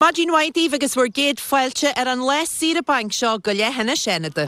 Maidin mhaith daoibh agus bhur gcéad fáilte ar an lá saoire bainc seo go Leithinis Fhánada.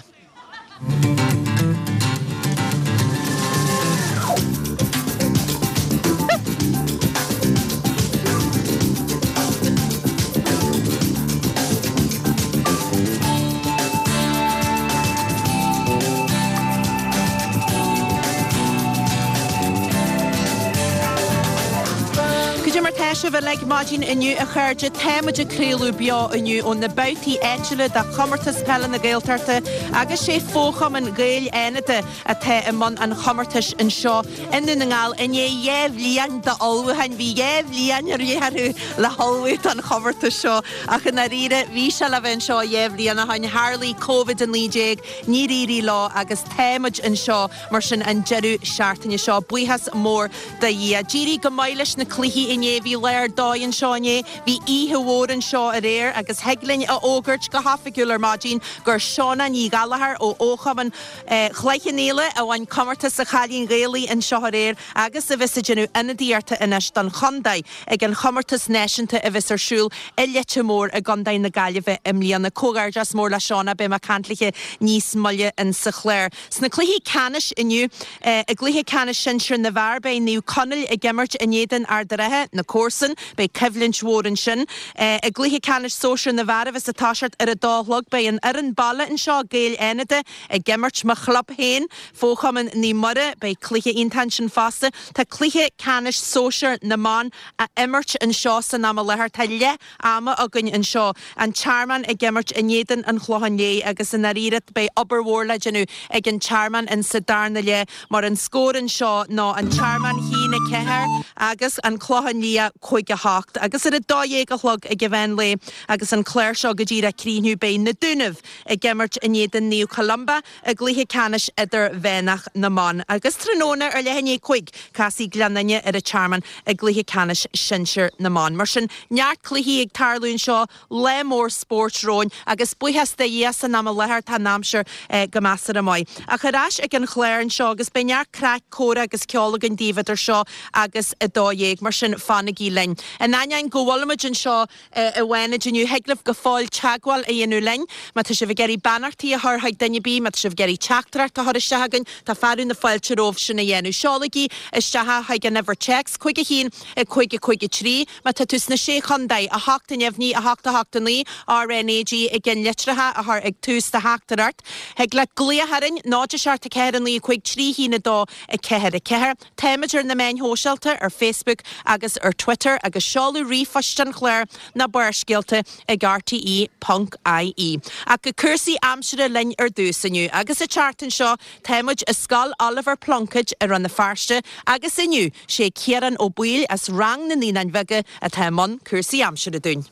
Cad é mar tá sibh uilig maidin inniu a chairde? Tá muid ag craoladh beo inniu ó na babhtaí áitiúla de Chomórtas Peile na Gaeltachta agus sé Fo-Chumann Gaeil Fhánada atá i mbun an chomórtais anseo i nDún na nGall i ndiaidh 2 bhliain d'ullmhúcháin. Bhí 2 bhliain ar leith orthu le hullmhú don chomórtas seo ach i ndáiríre bhí sé le bheith anseo 2 bhliain ó shin. Tharlaigh Covid-19, níor éirigh leo agus tá muid anseo mar sin an deireadh seachtaine seo. Buíochas mór do Dhia. D'éirigh go maith leis na cluichí inné. Bhí lá ar dóigh anseo inné. Bhí oíche mhór anseo aréir agus thig linn a fhógairt go hoifigiúil ar maidin gur Shauna Ní Ghallchóir ó Fhochumann Chloich Cheann Fhaola a bhain comórtas an Chailín Ghaelaigh anseo aréir agus a bheas ag déanamh ionadaíochta anois don chontae ag an chomórtas náisiúnta a bheas ar siúl i Leitir Móir i gContae na Gaillimhe i mbliana. Comhghairdeas mór le Shauna, beidh mé ag caint léithe níos moille in sa chlár. Sna cluichí ceannais inniu, i gcluiche ceannais sinsir na bhfear, beidh Naomh Conaill ag imirt in éadan Ard an Rátha, na comharsain. Beidh coimhlint mhór ansin. I gcluiche ceannais sóisir na bhfear a bheas ag toiseacht ar a dó a chlog, beidh an fhoireann baile anseo, Gaeil Fhánada, ag imirt mo chlub féin, Fo-Chumann Naomh Muire. Beidh cluiche iontach ansin fosta. Tá cluiche ceannais sóisir na mban á imirt anseo san am i láthair. Tá leath ama againn anseo. An Tearmann ag imirt in éadan an Chlocháin Léith agus i ndáiríre beidh obair mhór le déanamh ag an Tearmann in sa darna leath mar an scór anseo ná an Tearmann 1, 4 agus an Clochán Liath 5, 8. Agus ar a 12 a chlog ag an mheán lae agus an clár seo go díreach ag críochnú beidh Na Dúnaibh ag imirt in éadan Naomh Columba i gcluiche ceannais idirmheánach na mban agus tráthnóna ar leath i ndiaidh 5, casfaidh Gleann Fhinne ar an Tearmann i gcluiche ceannais sinsir na mban. Mar sin, neart cluichí ag tarlú anseo, lá mór spóirt romhainn agus buíochas do Dhia san am i láthair tá an aimsir go measartha maith. Ach ar ais ag an chlár anseo agus beidh neart craic, comhrá agus ceol againn daoibh idir seo agus 12, mar sin fanaigí linn. In ainneoin go bhfuilimid anseo, i bhFánaid inniu. Thig libh go fóill teagmháil a dhéanamh linn má tá sibh ag iarraidh beannachtaí a chur chuig duine ar bith, má tá sibh ag iarraidh teachtaireacht a chur isteach chugainn, tá fearadh na fáilte romhaibh sin a dhéanamh. Seolaigí isteach é chuig an uimhir téacs, 5 1 5 5 3. Má tá tú sna Sé Chontae, 8 neamhní, 8 8 9, RNAG i gceannlitreacha a chur ag tús do theachtaireacht. Thig leat glaoch orainn, 0 7 4 9 5 3 1 2 4 4. Táimid ar na meáin shóisialta, ar Facebook agus ar Twitter, agus seoladh ríomhphoist an chláir ná Barrscéalta ag rte ponc ie. Ach go cúrsaí aimsire linn ar dtús inniu, agus an tseachtain seo táimid i Scoil Oliver Plunkett i Rann na Feirste agus inniu sé Ciarán Ó Baoill as rang na Naíonáin Bheaga atá i mbun cúrsaí aimsire dúinn.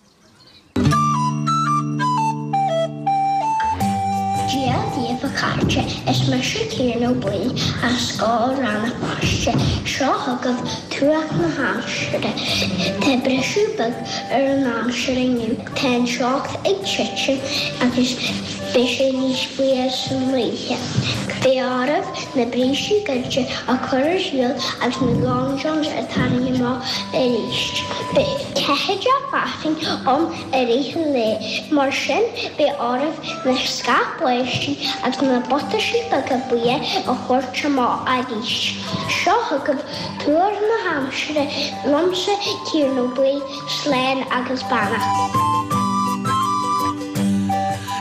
Dia daoibh a chairde, is mise Ciarán Ó Baoill as Scoil Rann na Feirste. Seo chugaibh tuairisc na haimsire. Tá briseadh beag ar an aimsir inniu. Tá an teocht ag titim agus beidh sé níos fuaire san oíche. Beidh oraibh na brístí gairide a chur ar shiúl agus na long johns a tharraingt amach arís. Beidh ceathaideach fearthainn ann i rith an lae, mar sin beidh oraibh na scáth báistí agus na buataisí beaga buí a thabhairt amach arís. Seo chugaibh tuar na haimsire liomsa Ciarán Ó Baoill, slán agus beannacht.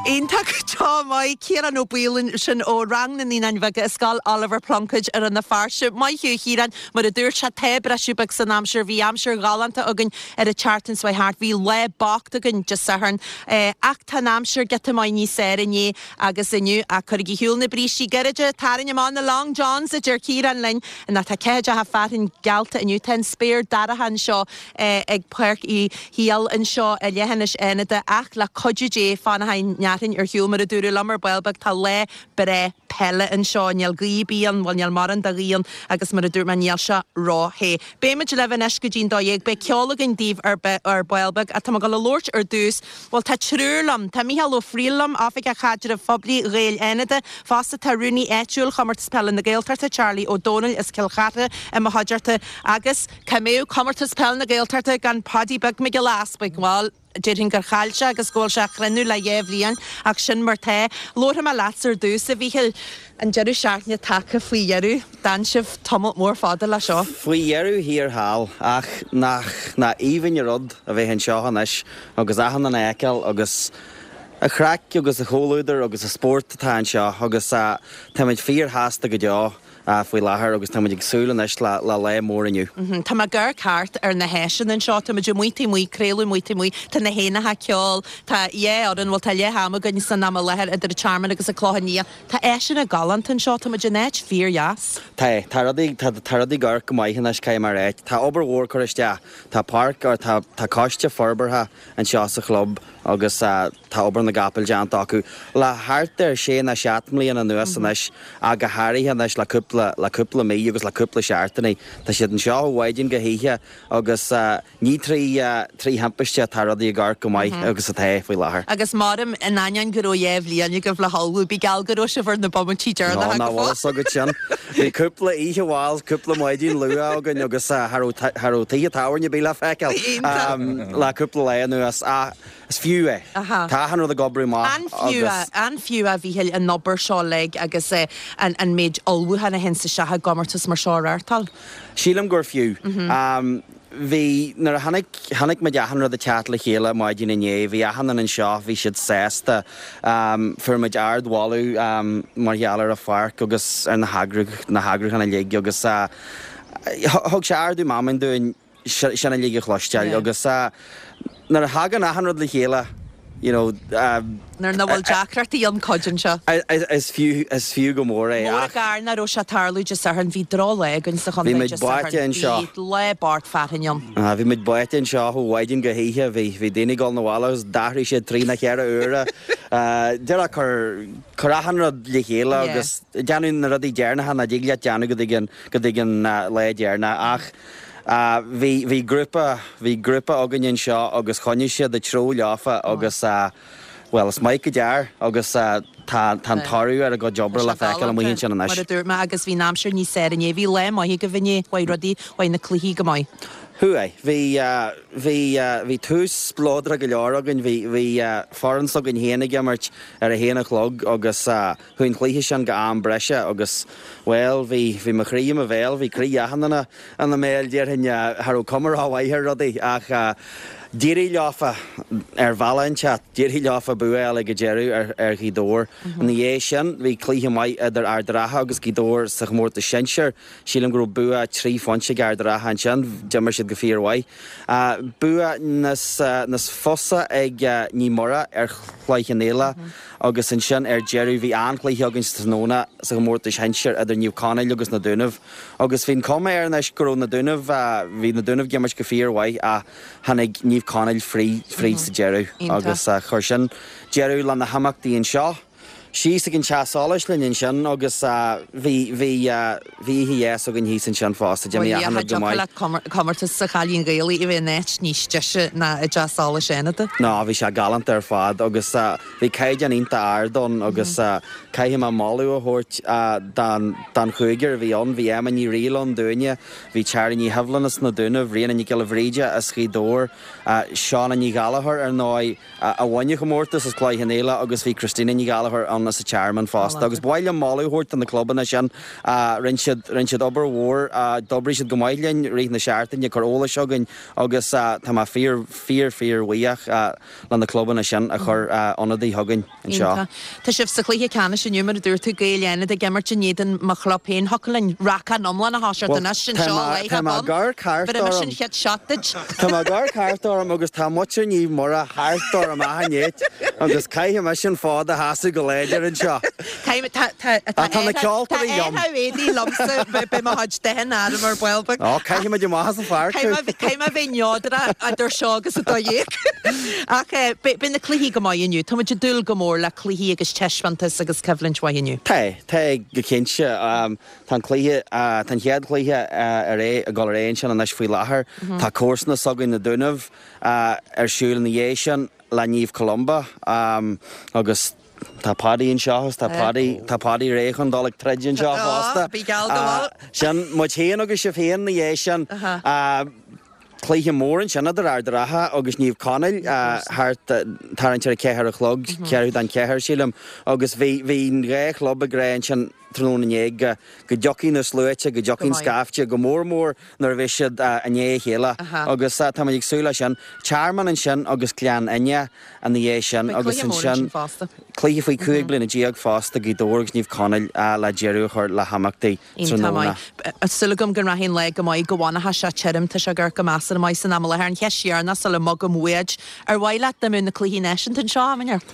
Iontach go deo maith Ciarán Ó Baoill sin ó rang na Naíonáin Bheaga i Scoil Oliver Plunkett i Rann na Feirste. Maith thú a Chiaráin, mar a dúirt sé tá briseadh beag san aimsir, bhí aimsir ghalánta againn ar an tseachtain seo thart, bhí lá bocht againn Dé Sathairn ach tá an aimsir giota maith níos fearr inné agus inniu. Ach cuirigí ar shiúl na brístí gairide, tarraing amach na long johns a deir Ciarán linn, nó tá ceathaideacha fearthainn geallta inniu, tá an spéir dorcha anseo ag Páirc Uí Shiail anseo i Leithinis Fhánada ach le cuidiú Dé fanfaidh an fhearthainn ar shiúl mar a dúradh liom ar ball beag tá lá breá. peile anseo, níl gaoth ar bith ann, bhuel níl mórán de ghaoth ann agus mar a dúirt mé níl sé ró-the. Beidh muid libh anois go dtí'n 12, beidh ceol againn daoibh ar ar ball beag ach tá mé ag dul a labhairt ar dtús, bhuel tá triúr liom, tá Mícheál Ó Fríl liom, Oifigeach Chaidrimh Phoiblí Ghaeil Fhánada, fosta tá Rúnaí Áitiúil Chomórtas Peile na Gaeltachta, Charlie Ó Domhnaill as Cill Chartha i mo chuideachta agus cá mbeadh Comórtas Peile na Gaeltachta gan Paudie Beag Mac Giolla Easpaig, bhuel. Déarfainn gur chaill sé agus go bhfuil sé á chrinneadh le dhá bhliain, ach sin mar tá. Labharfaidh mé leatsa ar dtús, a Mhíchíl. An deireadh seachtaine tagtha faoi dheireadh. D'fhan sibh tamalt mór fada le seo. Faoi dheireadh thiar thall, ach nach nach aoibhinn an rud a bheith anseo anois agus achan duine a fheiceáil agus an chraic agus an chomhluadar agus an spórt atá anseo agus táimid fíorshásta go deo. faoi láthair agus táimid ag súil anois le lá mór inniu. Tá mé ag amharc thart ar na háiseanna anseo, tá muid amuigh taobh amuigh, craoladh amuigh taobh amuigh, tá na héanacha ag ceol, tá dhá fhoireann, bhuel tá leath am againn san am i láthair idir an Tearmann agus an Clochán Liath. Tá áiseanna galánta anseo, tá muid in áit fíordheas. Tá, tá rudaí, tá, tá rudaí ag amharc go maith anois, caithfidh mé a ráit. Tá obair mhór curtha isteach, tá páirc, or tá, tá coiste forbartha anseo sa chlub agus tá obair na gcapall déanta acu le thart ar sé nó seacht mbliana anuas anois ach go háirithe anois le cúpla, le cúpla mí agus le cúpla seachtainí. Tá siad anseo ó mhaidin go hoíche agus ní trí, trí thimpiste atá rudaí ag amharc go maith agus atá faoi láthair. Agus maram, in ainneoin go raibh dhá bhliain agaibh le hullmhú, bí geall go raibh sibh ar na bomaití deireanacha go fóill. Nach bhfuil fhios agat sin. Bhí cúpla oíche mhall, cúpla maidin luath againn agus cha raibh, cha raibh tithe tábhairne ar bith le feiceáil le cúpla lá anuas ach is fiú é. Tá achan rud ag oibriú maith agus. An fiú é, an fiú é a Mhíchíl, an obair seo uilig agus an méid ullmhúcháin a théann isteach i gcomórtas mar seo a reáchtáil? Sílim gur fiú. Bhí, nuair a chonaic, chonaic muid achan rud ag teacht le chéile maidin inné, bhí achan duine anseo, bhí siad sásta. Fuair muid ard-mholadh mar gheall ar an pháirc agus ar na heagrú, na heagrúcháin uilig agus thug sé ardú meanman dúinn sin uilig a chloisteáil agus nuair a thagann achan rud le chéile, you know. Nuair nach bhfuil deacrachtaí ann cuidíonn sé. Is fiú, is fiú go mór é. Mór an gar nach raibh sé ag tarlú Dé Sathairn, bhí droch-lá againn sa chontae Dé Sathairn. Bhí muid báite anseo. Bhí lá bocht fearthainne ann. Bhí muid báite anseo ó mhaidin go hoíche, bhí, bhí daoine ag dul 'na bhaile agus d'athraigh siad trí nó cheithre huaire. Díreach cur, cur achan rud le chéile agus déanamh na rudaí deireanacha nach dtig leat déanamh go dtí an, go dtí an lá deireanach ach Bhí, bhí grúpa, bhí grúpa againn anseo agus choinnigh siad an treo leofa agus bhuel, is maith go dear agus tá, tá an toradh ar a gcuid oibre le feiceáil amuigh ansin anois. Mar a dúirt mé agus bhí an aimsir níos fearr inné, bhí lá maith agaibh inné, chuaigh rudaí, chuaigh na cluichí go maith. Chuaigh. Bhí, bhí, bhí tús spleodrach go leor againn, bhí, bhí foireann s'againn féin ag imirt ar a haon a chlog agus Chuaigh an cluiche sin go am breise agus, bhuel, bhí, bhí mo chroí i mo bhéal, bhí croí achan duine ina mbéal, déarfainn, cha raibh cuma rómhaith ar rudaí ach d'éirigh leofa, ar bhealach inteacht, d'éirigh leofa bua a fháil ag an deireadh ar, ar Ghaoth Dobhair. Ina dhiaidh sin, bhí cluiche maith idir Ard Ratha agus Gaoth Dobhair sa chomórtas sinsir. Sílim go raibh bua trí phointe ag Ard Ratha ansin, d'imir siad go fíormhaith. Bua níos, níos fusa ag Naomh Muire ar Chloich Cheann Fhaola agus ansin ar deireadh bhí an-chluiche againn sa tráthnóna sa chomórtas shinsir idir Naomh Conaill agus Na Dúnaibh agus bhí an cuma air anois go raibh Na Dúnaibh, bhí Na Dúnaibh ag imirt go fíormhaith ach tháinig Naomh Conaill fríd, fríd sa deireadh agus chuir sin deireadh le na himeachtaí anseo. Síos ag an teach solais linn ansin agus bhí, bhí, bhí oíche dheas againn thíos ansin fosta. D'imigh achan rud go maith. Bhuel, cha dtiocfadh le comórtas an Chailín Ghaelaigh a bheith in áit níos deise ná i dteach solais Fhánada. Ná, bhí sé galánta ar fad agus bhí caighdeán iontach ard ann agus caithfidh mé moladh a thabhairt don, don chúigear a bhí ann. Bhí Emma Ní Fhrighil ann dúinne, bhí Tara Ní Shibhleáin as na Dúnaibh, Ríona Nic Giolla Bhríde as Gaoth Dobhair, Shauna Ní Ghallchóir ar ndóigh, a bhain an comórtas as Cloich Cheann Fhaola agus bhí Christina Ní Ghallchóir ann as an Tearmann fosta agus ba mhaith liom moladh a thabhairt do na clubanna sin. Rinne siad, rinne siad obair mhór, d'oibrigh siad go maith linn i rith na seachtaine ag cur eolais chugainn agus tá mé fíor, fíor, fíor bhuíoch le na clubanna sin a chuir ionadaí chugainn anseo. Iontach. Tá sibh sa chluiche ceannais inniu, mar a dúirt tú, Gaeil Fhánada ag imirt in éadan mo chlub féin. Thiocfadh linn racán iomlán a thoiseacht anois anseo i láthair bun. Bheir mise an chéad shot duit. Tá mé ag amharc thart orm agus tá muintir Naomh Muire thart orm achan áit agus caithfidh mise an fód a sheasamh go láidir. láidir anseo. Tá Tá na ceoltóirí liom. Tá éadaí liomsa, beidh mo chuid dathanna orm ar ball beag. Ó, caithfimid amach as an pháirc thú. Caithfidh mé a bheith neodrach idir seo agus 12. Ach beidh na cluichí go maith inniu. Tá muid ag dúil go mór le cluichí agus taispeántas agus coimhlint mhaith inniu. Tá, tá go cinnte. Tá an cluiche, tá an chéad chluiche ar aghaidh, ag dul ar aghaidh ansin anois faoi láthair. Tá comharsana s'againn na Dúnaibh ar siúl ina dhiaidh sin le Naomh Columba agus tá Paddy anseo agus tá Paddy, tá Paddy réidh chun dul ag troid anseo fosta. Bí geall go bhfuil. Sin muid féin agus sibh féin ina dhiaidh sin. Cluiche mór ansin idir Ard an Rátha agus Naomh Conaill thart tarraingt ar a ceathair a chlog, ceathrú don cheathair sílim, agus bhí bhí an dhá chlub ag rá ansin tráthnóna inné go go dtiocfaidh na sluaite, go dtiocfaidh an scaifte, go mór mór nuair a bheidh siad i ndiaidh a chéile agus táimid ag súil leis sin. Tearmann ansin agus Gleann Fhinne ina dhiaidh sin agus ansin cluiche faoi 15 bliana fosta Gaoth Dobhair agus Naomh Conaill le deireadh a chur le himeachtaí. Iontach maith. Súil agam go rachaidh an lá go maith, go bhfanfaidh sé tirim, tá sé ag amharc go measartha maith san am i láthair. An cheist dheireanach sula mbogaim uait, ar mhaith leat dá mbeadh na cluichí náisiúnta anseo am inteacht?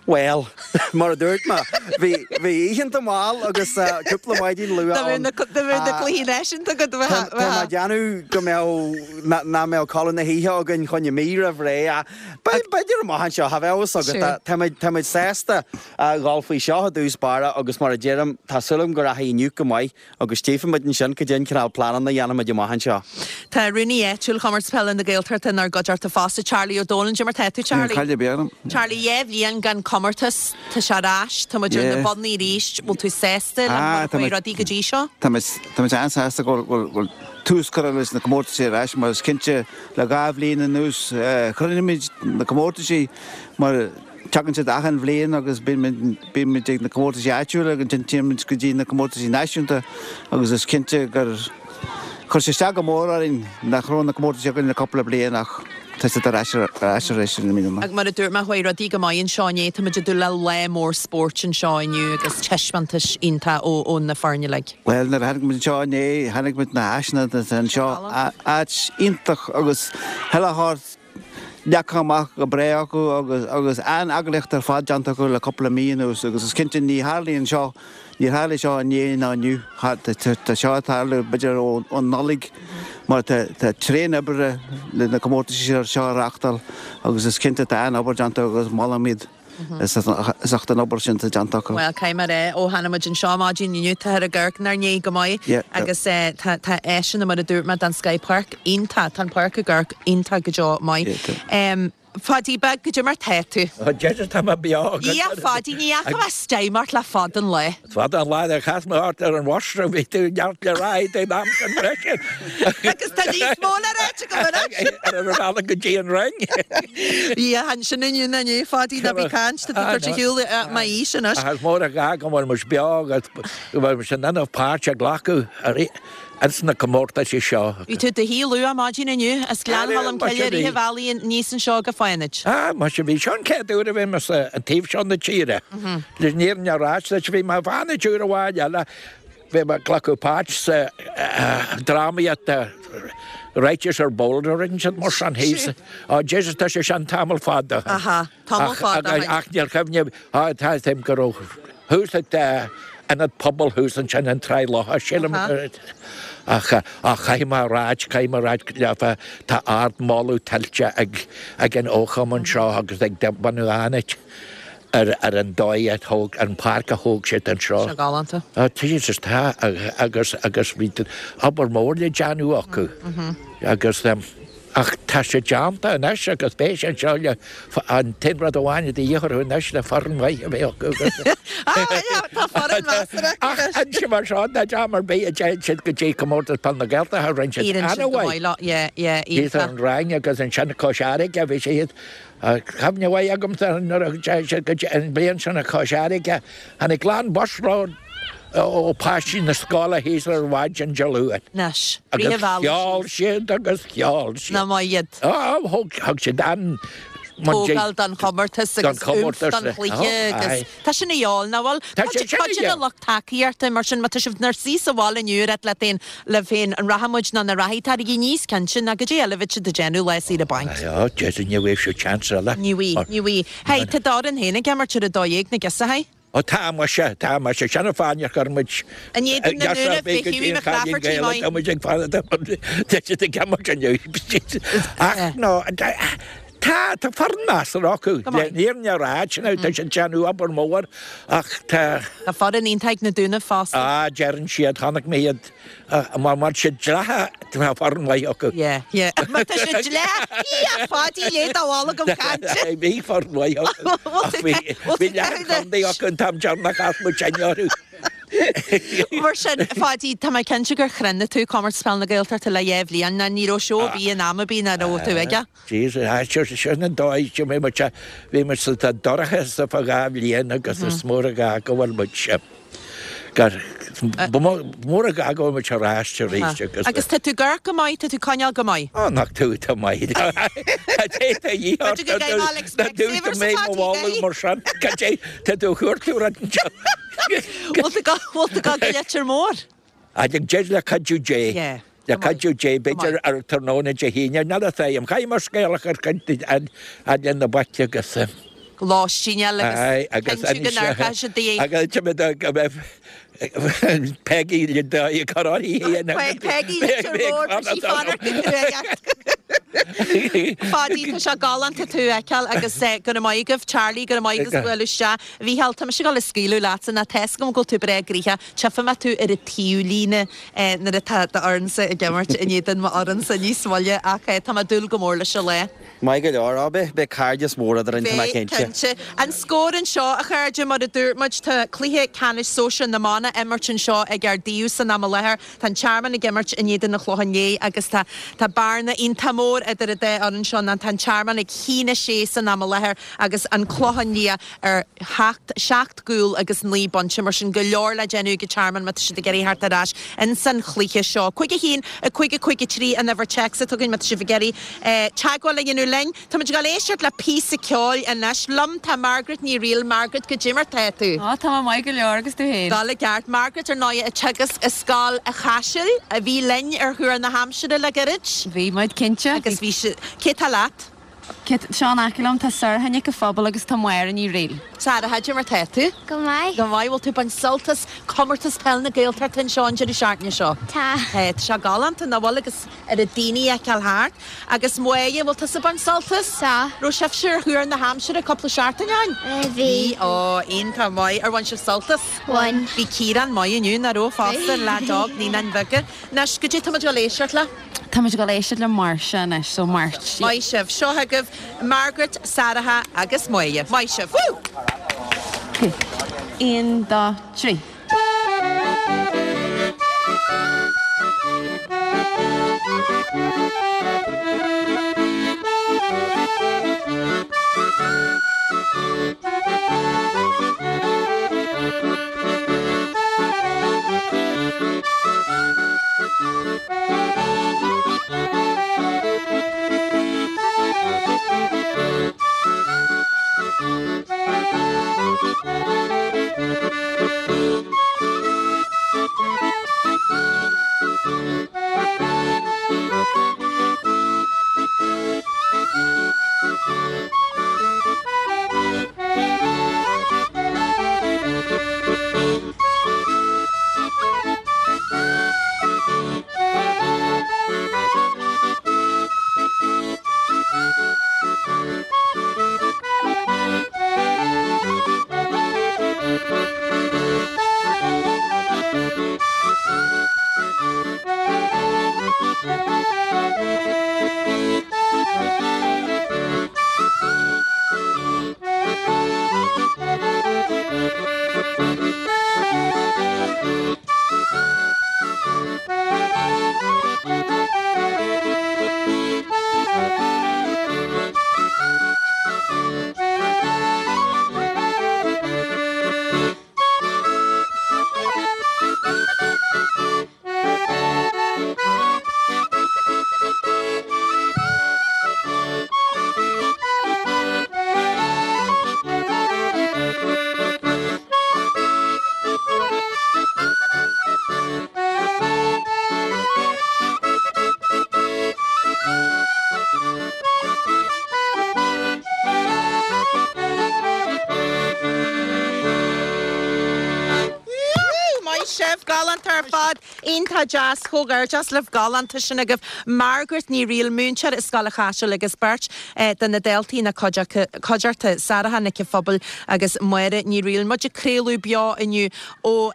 Bhuel, mar a dúirt mé, bhí bhí oícheanta mall agus cúpla maidin luath ann. Dá mbeadh na cluichí náisiúnta agat, bheadh. Tá mé ag déanamh go mbeadh, nach mbeadh codladh na hoíche againn choinne mí roimh ré ach b'fhéidir amach anseo, cha bheadh fhios agat. Táimid sásta a dhul faoi seo i dtús báire agus mar a deirim, tá súil agam go rachaidh inniu go maith agus tchífimid ansin cad é an cineál pleananna a dhéanfaimid amach anseo. Tá Rúnaí áitiúil Chomórtas Peile na Gaeltachta inár gcuideachta fosta, Charlie Ó Dónaill. Cad é mar tá tú, Charlie? Níl caill ar bith orm. Charlie, 2 bhliain gan comórtas, tá sé ar ais, tá muid ar na bonnaí arís, bhfuil tú sásta le mar a chuaigh rudaí go dtí seo? Tá muid an-sásta go bhfuil tús curtha leis na comórtaisí ar ais mar is cinnte le 2 bhliain anuas chruinnimid na comórtaisí mar Tagann siad achan bhliain agus bíonn muid ag na comórtaisí áitiúla agus ansin téann muid go dtí na comórtaisí náisiúnta agus is cinnte gur chuir sé isteach go mór orainn nach raibh na comórtaisí againn le cúpla bliain ach tá siad ar ais ar ais arís i mbliana. Ach mar a dúirt mé, chuaigh rudaí go maith anseo inné, tá muid ag dúil le lá mór spóirt anseo inniu agus taispeántais iontach ó na foirne uilig. Bhuel, nuair a tháinig muid anseo inné, chonaic muid na háiseanna atá anseo, áit iontach agus chuile shórt leagtha amach go breá acu agus agus an-eagraíocht ar fad déanta acu le cúpla mí anuas agus is cinnte ní tharlaíonn seo, níor tharlaigh seo inné ná inniu, tá seo ag tarlú b'fhéidir ón Nollaig mar tá tá tréan oibre le na comórtais seo a reáchtáil agus is cinnte tá an-obair déanta agus molaim iad. As ucht an obair sin atá déanta acu. Bhuel, caithfidh mé a rá, ó tháinig muid anseo maidin inniu, táthar ag amharc inár ndiaidh go maith agus tá tá áiseanna, mar a dúirt mé, den scoth, páirc iontach, tá an páirc ag amharc iontach go deo maith. Phaidí beag, cad é mar tá tú? Ó, Jesus, tá mé beo. Dhia, a Phaidí, ní fhaca mé stime ort le fada an lá. Fada an lá ar chas mé ort ar an bhus a bhí tú neart le rá ag an am sin freisin. Agus tá níos mó le ráit agam anois. Ar an bhealach go dtí an Rinn. Dhia, chan sin inniu ná inné, Phaidí, ná bí ag caint, tá tú ag tabhairt ar shiúl m'aois anois. Ach is mór an gá go bhfuil muid beo agus go bhfuil muid in ann páirt a ghlacadh ins na comórtaisí seo. Bhí tú i do shuí luath maidin inniu as Gleann Cholm Cille i rith an bhealaigh aníos anseo go Fánaid. Ah, muise, bhí seo an chéad uair a bhí mé sa an taobh seo na tíre. Leis an fhírinne a ráit duit, bhí mé i bhFánaid uair amháin eile, bhí mé ag glacadh páirt sa drámaíocht Righteous or Bold a rinne siad mar sin thíos. Oh Jesus, tá sé sin tamall fada. Aha. Tamall fada ó shin. Ach níl cuimhne, tá fhios a'm go raibh thuas ag ionad pobail thuas ansin an Tráigh Locha, sílim. Ach caithfidh mé a ráit, caithfidh mé a ráit leofa, tá ard-mholadh tuillte ag ag an fhochumann seo agus ag bunadh Fhánaid ar ar an dóigh a thóg, an páirc a thóg siad anseo. Tá sé galánta. Jesus, tá agus agus bhí obair mhór le déanamh acu agus. Ach tá sé déanta anois agus beidh sé anseo le an t-aon rud amháin de dhíth orthu anois le foireann mhaith a bheith acu agus Tá foireann mheasartha acu Ach anois. ansin mar seo ná dream ar bith a dtéann siad go dtí Comórtas Peile na Gaeltachta rinne siad Éiríonn siad go an-mhaith. maith leo, yeah, yeah, Thíos ar iontach. an Rinn agus ansin Cois Fharraige bhí siad Cuimhne mhaith agamsa nuair a dtéann siad go dtí an bhliain sin Cois Fharraige tháinig lán busload ó páistí na scoile thíos ar mhaidin Dé Luain. Anois, rith Agus an bhealaigh cheol síos. siad agus cheol siad. Nach maith iad. Á, thug, thug siad an, Tógáil don chomórtas don agus oomph chomórtas. don chluiche agus Aye. tá sin a dhíobháil, nach bhfuil? Tá sé sin a Cuid de dhíobháil. lucht tacaíochta mar sin, má tá sibh inár suí sa bhaile inniu ag ráit leat féin, libh féin, an rachaidh muid nó nach rachaidh, taraigí níos cinnte ná goidé eile a bheadh siad ag déanamh lá saoire bainc. Aye, ó, Jesus, ní bhfaighidh siad seans eile. Ní bhfaighidh, ní bhfaighidh. Hey, tá d'fhoireann féin ag imirt ar a 12 na giosachaí. Ó tá muise, tá muise, sin an fáth nár chuir muid In éadan na nDúnaibh, bhí Hughie McClafferty maith. Tá muid ag fanacht tá siad ag imirt inniu. Ach no, tá, tá foireann measartha acu. Go maith. Le fírinne a ráit now, tá siad ag déanamh obair mhór ach tá. Tá foireann iontach ag na Dúnaibh fosta. Ah, deireann siad, chonaic mé iad Má tá siad dleathach, tá foireann mhaith acu. Yeah, yeah. Má tá siad dleathach, a Pháidí, léigh do bholg am chainte. Bhí foireann mhaith acu. Ach bhí bhí leath an chontae acu an t-am deireanach as muid sinne orthu. Mar sin, a Pháidí, tá mé cinnte gur chruinnigh tú Comórtas Peile na Gaeltachta le dhá bhliain, ná ní raibh seó ar bith in am ar bith nach raibh tú aige. Jesus, sin an dóigh, bhí muid, bhí muid sa dorcha sa fá dhá bhliain agus is mór an gá go bhfuil muid, gur, ba mhór an gá go bhfuil muid ar ais arís agus. Agus tá tú ag amharc go maith, tá tú coinneáil go maith. Ó, nach tú, tá maith. Cad é tá dhíth ort? B'fhéidir go gcaithfeá like Specsavers atá mé mo mholadh mar sin. Cad é, tá tú a chuartú rud anseo. Bhfuil tú bhfuil tú ag dul go Leitir Móir? Ag deir le cuidiú Dé. Yeah. Le cuidiú Dé, b'fhéidir ar tráthnóna Dé hAoine, níl a fhios agam. Caithfidh mé scéal a chur chuig fhad le na boic agus. Lóistín a fháil agus Aye, agus cinntiú go n-amharcfaidh siad di. Agus go mbeidh Peggy le dóigh ag cur uirthi féin agus. Peggy Leitir Móir, tá sí fanacht go cruaidh. Pháidí, tá sé galánta tú a fheiceáil agus go raibh maith agaibh. Charlie, go raibh maith agat as bualadh isteach. A Mhícheáil, tá mise ag dul a scaoileadh leatsa, nó tá fhios agam go bhfuil tú breá gnoitheach. Tchífidh mé tú ar an taobhlíne nuair atá d'fhoireannsa ag imirt in éadan m'fhoireannsa níos moille ach tá mé ag dúil go mór leis an lá. Maith go leor, á beidh, beidh cairdeas mór eadrainn, tá mé Beidh, cinnte. cinnte. An scór anseo, a chairde, mar a dúirt muid, tá cluiche ceannais sóisir na mban á imirt anseo ag Ard Aodh san am i láthair. Tá an Tearmann ag imirt in éadan an Chlocháin Léith agus tá tá bearna iontach mór idir an dá fhoireann seo ná tá an Tearmann ag 1-6 san am i láthair agus an Clochán Liath ar sheacht, seacht gcúl agus naoi bpointe. Mar sin, go leor le déanamh ag an Tearmann má tá siad ag iarraidh theacht ar ais ins an chluiche seo. 5 1, 5 5 3 an uimhir téacs atá againn má tá sibh ag iarraidh teagmháil a dhéanamh linn. Tá muid ag dul éisteacht le píosa ceoil anois. Liom tá Margaret Ní Fhrighil. Margaret, goidé mar tá tú? Á, tá mé maith go leor agus tú féin? Dul i gceart. Margaret, ar ndóigh, ag teagasc i Scoil a' Chaisil, a bhí linn ar Thuar na hAimsire le gairid. Bhí muid, cinnte. Agus bhí si-, cé tá leat? Seo in aice liom, tá Sorcha Nic an Phobail agus tá Máire Ní Fhrighil. Sara, goidé mar tá tú? Go maith. Go maith. Bhfuil tú ag baint sult as comórtas peil na Gaeltachta anseo an deireadh seachtaine seo? Tá. Tá. Tá sé galánta, nach bhfuil? Agus oiread daoine a fheiceáil thart. Agus Máire, bhfuil tusa ag baint sult as? Tá. Raibh sibhse ar Thuar na hAimsire cúpla seachtain ó shin? Bhí. Ó, iontach maith. Ar bhain sibh sult as? Bhain. Bhí Ciarán maith inniu, nach raibh fosta, an leaid óg, Naíonáin Bheaga. Anois, goidé tá muid ag dul éisteacht le? Tá muid ag dul éisteacht le Máirse anois, so March. Maith sibh. Seo chugaibh Margaret, Sarah agus Máire. Maith sibh. Woo! Ok. Aon, dó, trí. Galánta ar fad. Iontach deas. Comhghairdeas libh. Galánta sin agaibh. Margaret Ní Fhrighil, múinteoir i Scoil an Chaisil agus beirt de na daltaí ina cuideachta, Sarah Nic an Phobail agus Máire Ní Fhrighil. Muid ag craoladh beo inniu ó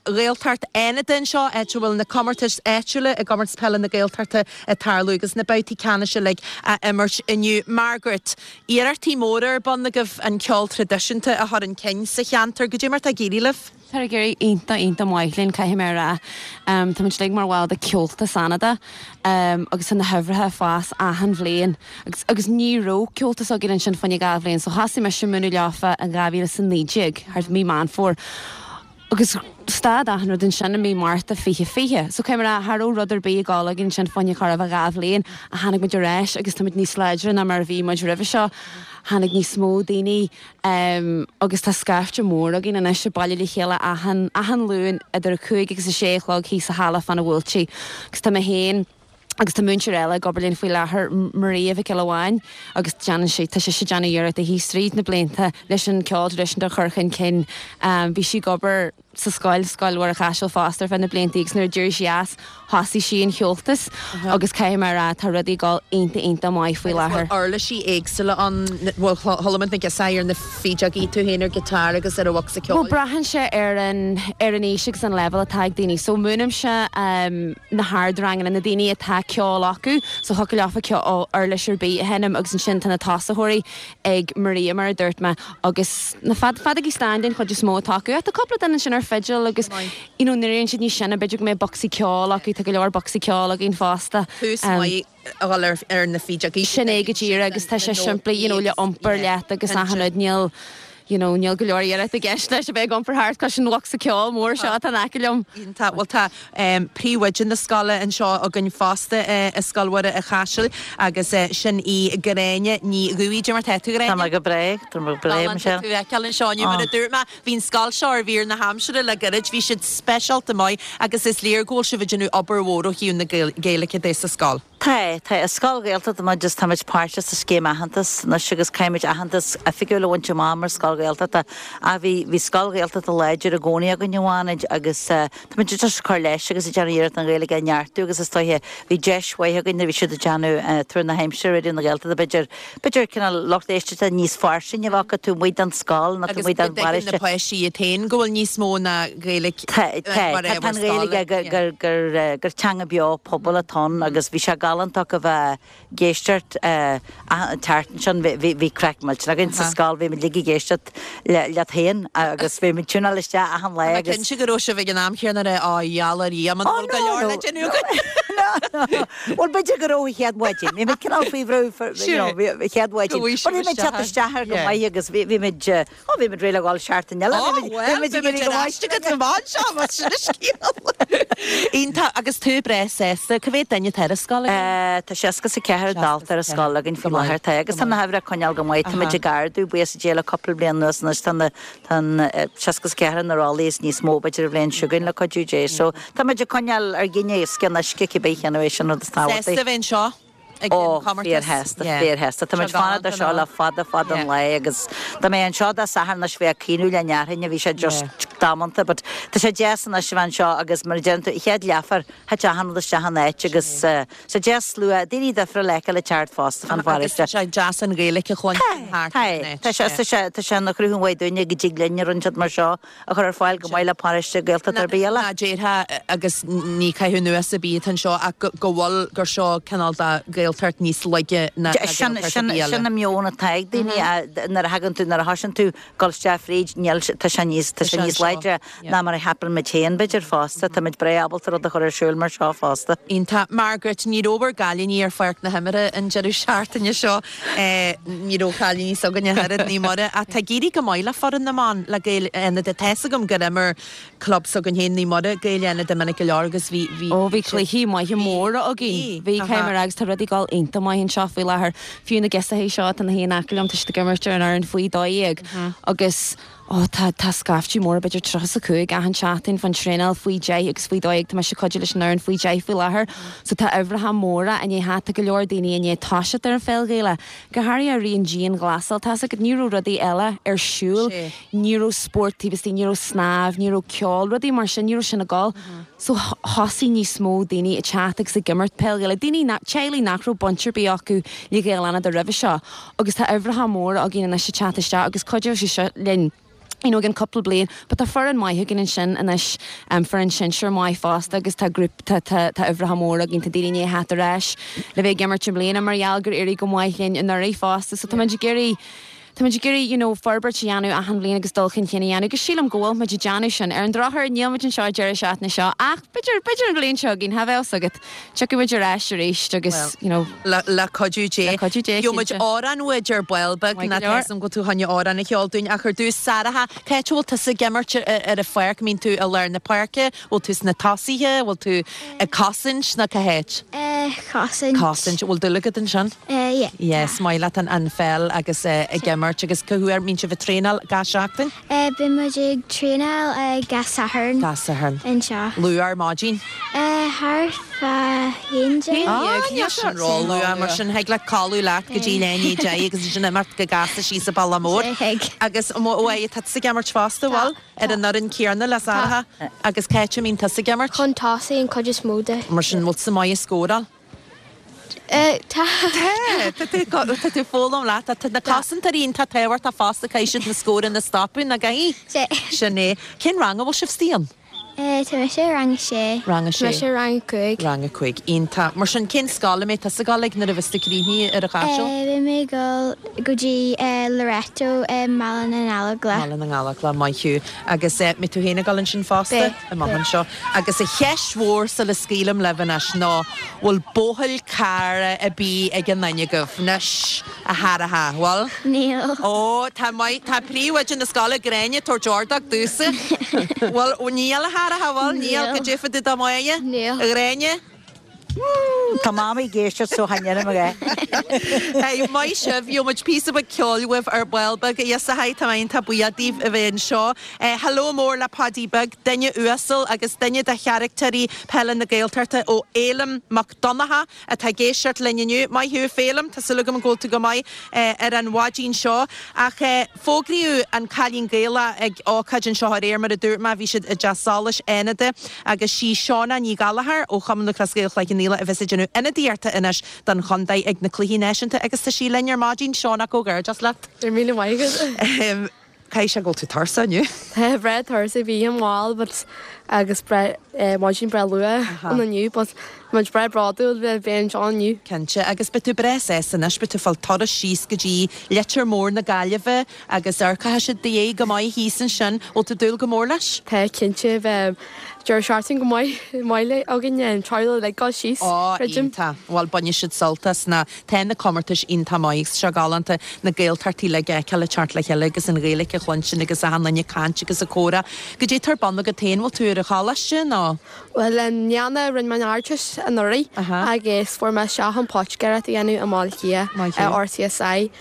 Ghaeltacht Fhánada anseo, áit a bhfuil na comórtais áitiúla i gComórtas Peile na Gaeltachta ag tarlú agus na babhtaí ceannais uilig á imirt inniu. Margaret, Iarrachtaí móra ar bun agaibh an ceol traidisiúnta a chur chun cinn sa cheantar. Goidé mar tá ag éirí libh? Tá ag éirí iontach, iontach maith linn, caithfidh mé a rá. Tá muid uilig mar bhaill de Ceoltas Fhánada agus tá na huimhreacha ag fás achan bhliain. Agus, agus ní raibh ceoltas againn ansin fá choinne 2 bhliain, so thosaigh mise ag múineadh leofa in 2019, thart mí Meán Fómhair. Agus stad achan rud ansin i mí Márta 2020. So caithfidh mé a rá, cha raibh rud ar bith ag gabháil againn ansin fá choinne chóir a bheith 2 bhliain ach tháinig muid ar ais agus tá muid níos láidre ná mar a bhí muid roimhe seo. Tháinig níos mó daoine agus tá scaifte mór againn anois ag bailiú le chéile achan, achan Luan idir a cúig agus a sé a chlog thíos sa halla fána Bhuailtí. Agus tá mé féin, Agus tá múinteoir eile ag obair linn faoi láthair, Maria Mhic Giolla Bháin, agus déanann sí, tá sise ag déanamh iarrachta thíos tríd na blianta leis an ceol traidisiúnta a chur chun cinn. Bhí sí ag obair sa scoil, Scoil Mhuire Chaisil fosta ar feadh na blianta agus nuair a d'éirigh sí as, thosaigh sí an cheoltas agus caithfidh mé a rá, tá rudaí ag dul iontach, iontach maith faoi Agus láthair. bhfuil uirlisí éagsúla ann, bhfuil, chuala muid na girseachaí ar na feadógaí, tú féin ar guitar agus ar an bhocsa ceoil? Bhuel, braitheann sé ar an, ar an aois agus an leibhéal atá ag daoine. So múinimse na hardranganna, na daoine atá ceol acu, so thiocfadh leofa ceol, uirlis ar bith a sheinm agus ansin tá na tosaitheoirí ag Maria mar a dúirt mé agus na fead, feadógaí stáin den chuid is mó atá acu ach tá cúpla duine ansin ar fidil agus you know nuair a éiríonn siad níos sine b'fhéidir go mbeidh bocsaí ceoil acu, tá go leor bocsaí ceoil againn fosta. Tús maith a dhul ar, ar na feadógaí. Sin é go díreach agus tá sé simplí you know le iompar leat agus achan rud níl you know, níl go leor iarracht i gceist leis a bheith ag iompar thart cois an bhocsa ceoil mór seo atá in aice liom. Iontach. Bhuel tá príomhoide na scoile anseo againn fosta i Scoil Mhuire an Chaisil agus sin í Gráinne Ní Dhubhthaigh. Cad é mar tá tú, Gráinne? Tá mé go breá, tá mé go breá, Galánta Michelle. tú a fheiceáil anseo inniu. Mar a dúirt mé, bhí an scoil seo ar mhír na haimsire le gairid, bhí siad speisialta maith agus is léir go bhfuil sibh ag déanamh obair mhór ó thaobh na Gaeilge de sa scoil. Tá, tá. Is scoil Ghaeltachta muid agus táimid páirteach sa scéim aitheantas anois agus caithfimid aitheantas oifigiúil a bhaint amach mar scoil Ghaeltachta. Ach bhí, bhí scoil Ghaeltachta láidir i gcónaí againn i bhFánaid agus táimid just ag cur leis agus ag déanamh iarracht an Ghaeilge a neartú agus is dóiche bhí deis mhaith againn nuair a bhí siad ag déanamh Tuar na hAimsire Raidió na Gaeltachta b'fhéidir, b'fhéidir cineál lucht éisteachta níos fairsinge a bheith acu taobh amuigh den scoil nó taobh Agus amuigh go den dtuigeann na bparóiste. páistí iad féin go bhfuil níos mó ná Gaeilge Tá, tá, tá an Ghaeilge gur, gur, gur teanga beo pobail atá ann agus bhí sé galánta a bheith ag éisteacht an tseachtain sin, bhí, bhí craic millteanach againn sa scoil, bhí muid uilig ag éisteacht le, leat féin agus bhí muid ag tiúnáil isteach achan lá Tá mé agus. cinnte go raibh sibh ag an am chéanna ag rá, Á, gheall ar Dhia, muna Ó, bhfuil go no, leor no, le déanamh againn. no, no. Bhuel, b'fhéidir go raibh an chéad mhaidin, bhí muid cineál faoi bhrú, you know, bhí, an chéad mhaidin. Go bhfaighidh But sibh bhí muid ag teacht isteach isteach air go Yeah. maith agus bhí, bhí muid, Ó, bhí muid réidh le dhul seachtain eile. Ó, bhuel, beidh muid ar ais agat an bhfad seo, mar sin an scéal. Iontach, agus tú breá sásta. Cá mhéad duine atá ar an scoil agaibh? Tá 64 dalta ar an scoil againn faoi láthair. Tá, agus tá na huimhreacha ag coinneáil go maith. Tá muid ag ardú, buíochas le Dia, le cúpla bliain anuas anois. Tá na, tá an 64 na rollaí is níos mó b'fhéidir an bhliain seo chugainn le cuidiú Dé. So, tá muid ag coinneáil ár gcinn os cionn uisce cibé cén uair sin rud is tábhachtaí. Sásta a bheith anseo? ag Ó, an chomórtas. fíorshásta, Yeah. fíorshásta. Tá Seo muid fanacht galánta ar seo le fada, fada an Yeah. lá agus dá mbeinn anseo Dé Sathairn anois bheadh caoineadh le ndéarfainn a bhí sé just Yeah. damanta but tá sé deas anois a bheith anseo agus mar a deireann tú, chéad leathuair, thit achan rud isteach ina áit agus eh, tá deas slua, daoine difriúla a fheiceáil ag teacht fosta fan Agus pharóiste. tá sé deas an Ghaeilge a chluinstin Tá, thart tá, ar an áit. tá sé, Yeah. tá sé, tá sé ina chruthú mhaith dúinne go dtig linn rud inteacht mar seo a chur ar fáil chomh maith le paróiste Gaeltachta ar bith eile. Ná déarfá, agus ní caitheamh anuas ar bith atá anseo, ach go bhfuil, gur seo cineál de Ghaeltacht níos laige ná Sin, Gaeltacht ar sin, bith eile. sin an meon atá ag daoine nuair a thagann tú, nuair a thosaíonn tú dul isteach fríd, níl, tá sé níos, tá sé níos láidre ná mar a cheapann muid féin b'fhéidir fosta. Tá muid breá ábalta rud a chur ar siúl mar seo fosta. Iontach. Margaret, ní raibh bhur gcailíní ar pháirc na himeartha an deireadh seachtaine seo. Ní raibh cailíní s'againne ach oiread, Naomh Muire, ach tá ag éirí go maith le foireann na mban, le Gaeil Fhánada. Tá's agam gur imir club s'againn féin, Naomh Muire, Gaeil Fhánada minic go leor agus bhí, bhí, Ó bhí cluichí maithe móra againn. Bhí, caithfidh mé a rá, agus tá rudaí ag dul iontach maith anseo faoi láthair. Fiú na girseachaí seo atá ina shuí in aice liom, tá siad ag imirt ar an fhoireann faoi 12 agus. Ó tá, tá scaifte mór, b'fhéidir 35 achan seachtain fán traenáil faoi 10 agus faoi 12, tá mise ag cuidiú leis an fhoireann faoi 10 faoi láthair. So tá uimhreacha móra i ndiaidh theacht, tá go leor daoine i ndiaidh toiseacht ar an pheil Ghaelach, go háirithe i rith an dianghlasáil, tá's agat, ní raibh rudaí eile ar siúl, ní raibh spórt taobh istigh, ní raibh snámh, ní raibh ceol, rudaí mar sin, ní raibh sin ag dul. So thosaigh níos mó daoine ag teacht agus ag imirt peil Ghaelach, daoine nach, teaghlaigh nach raibh baint ar bith acu le Gaeil Fhánada roimhe seo. Agus tá uimhreacha móra againn anois ag teacht isteach agus cuideoidh sé seo linn you know, i gcionn cúpla bliain. But tá foireann maith againn ansin anois, foireann sinsir maith fosta agus tá grúp, tá, tá, tá uimhreacha móra againn, tá daoine i ndiaidh theacht ar ais le bheith ag imirt i mbliana mar gheall gur éirigh go maith linn anuraidh fosta. So tá muid ag iarraidh, tá muid ag iarraidh you know, forbairt a dhéanamh achan bhliain agus dul chun cinn a dhéanamh agus sílim go bhfuil muid ag déanamh sin. Ar an drochuair níl muid anseo an deireadh seachtaine seo ach b'fhéidir, b'fhéidir an bhliain seo chugainn, cha bheadh fhios agat. Tiocfaidh muid ar ais arís agus, you know. Le cuidiú Dé. Le cuidiú Dé, Gheobhaidh muid cinnte. amhrán uait ar ball beag, Maith go ná leor. tá 'fhios a'm go bhfuil tú chun amhrán a cheol dúinn ach ar dtús, Sarah, cá háit a bhfuil tusa ag imirt ar an pháirc? Mbíonn tú i lár na páirce? Bhfuil tú sna tosaithe? Bhfuil tú ag cosaint nó cá háit? Cosaint. Cosaint. Bhfuil dúil agat ansin? Yeah. Yes, maith leat an pheil agus ag imirt agus cá huair mbíonn sibh ag traenáil gach seachtain? Bíonn muid ag traenáil gach Satharn. Gach Satharn. Anseo. Luath ar maidin? Thart fá 11. Ah, níl sin ró-luath mar sin thig leat codladh leat go dtí leath i ndiaidh 10 agus ansin imeacht go gasta síos an bealach mór. Thig. Agus bhfuil, tá tusa ag imirt fosta, bhfuil? Ar an fhoireann céanna le Sarah? Agus cá háit a mbíonn tusa ag imirt? Chun tosaigh an cuid is mó de. Mar sin, bhfuil tusa maith ag scóráil? Tá. Tá, tá tú tá tú ag foghlaim leat. Tá na cosantóirí iontach tábhachtach fosta, caithfidh siad na scóranna a stopadh, nach gcaithfidh? Sin é. Cén rang a bhfuil sibh istigh ann? Tá mise i rang a sé. Rang a sé. Tá mise i rang a 5. Rang a 5. Iontach. Mar sin, cén scoil a mbeidh tusa ag dul ag nuair a bheas tú críochnaithe ar an Chaiseal? Beidh mé ag dul go dtí Loreto i mBaile na nGallóglach. Baile na nGallóglach, maith thú. Agus mbeidh tú féin ag dul ansin fosta? Beidh. Amach anseo. Agus an cheist mhór sula scaoilim libh anois ná, bhfuil buachaill cara ar bith ag aon duine agaibh anois, a Sharaha, bhfuil? Níl. Ó, tá maith, tá príomhoide na scoile, Gráinne, ag tabhairt ordóg domhsa. Bhfuil, níl, a Sharaha, bhfuil? Níl. Cad é fá dtaobh de Mháire? Níl. A Ghráinne? Tá Mamaí ag éisteacht so chan deirim a dhath. Hey, maith sibh, gheobhaidh muid píosa beag ceoil uaibh ar ball beag. A Fhiosachai, tá mé iontach buíoch daoibh a bheith anseo. Hello mór le Paidí Beag, duine uasal agus duine de charactéirí peile na Gaeltachta ó Fhéilim Mac Donncha atá ag éisteacht linn inniu. Maith thú, a Fhéilim, tá súil agam go bhfuil tú go maith ar an mhaidin seo. Ach fógraíodh an Cailín Gaelach ag ócáid anseo aréir, mar a dúirt mé, bhí siad i dTeach Solais, Fhánada, agus sí Shauna Ní Ghallchóir ó Chumann Lúthchleas Gael Chloich Cheann Fhaola a bheas ag déanamh ionadaíochta anois don chontae ag na Cluichí Náisiúnta agus tá sí linn ar maidin. Shauna, comhghairdeas leat. Go raibh míle maith agat. Caithfidh sé go bhfuil tú tuirseach inniu. Tá breá tuirseach, bhí oíche mhall but agus breá maidin breá luath ann inniu but tá muid breá bródúil le bheith anseo inniu. Cinnte, agus beidh tú breá sásta anois, beidh tú ag fáil turas síos go dtí Leitir Mór na Gaillimhe agus amharcfaidh siad do dhiaidh go maith thíos ansin. Bhfuil tú ag dúil go mór leis? Tá, cinnte, beidh deireadh seachtaine go maith maith againn, an teaghlach uilig ag dul síos, Ó, creidim. iontach. Bhuel, bainfidh siad sult as na, tá na comórtais iontach maith agus tá sé galánta na Gaeltachtaí uilig a fheiceáil ag teacht le chéile agus an Ghaeilge a chluinstin agus achan duine ag caint agus ag comhrá. Goidé atá ar bun agat féin, bhfuil tú ar an choláiste nó? Bhuel, i mbliana rinne mé an Ardteist anuraidh agus fuair mé isteach chun poitigéireacht a dhéanamh i mBaile Átha Cliath i RCSI.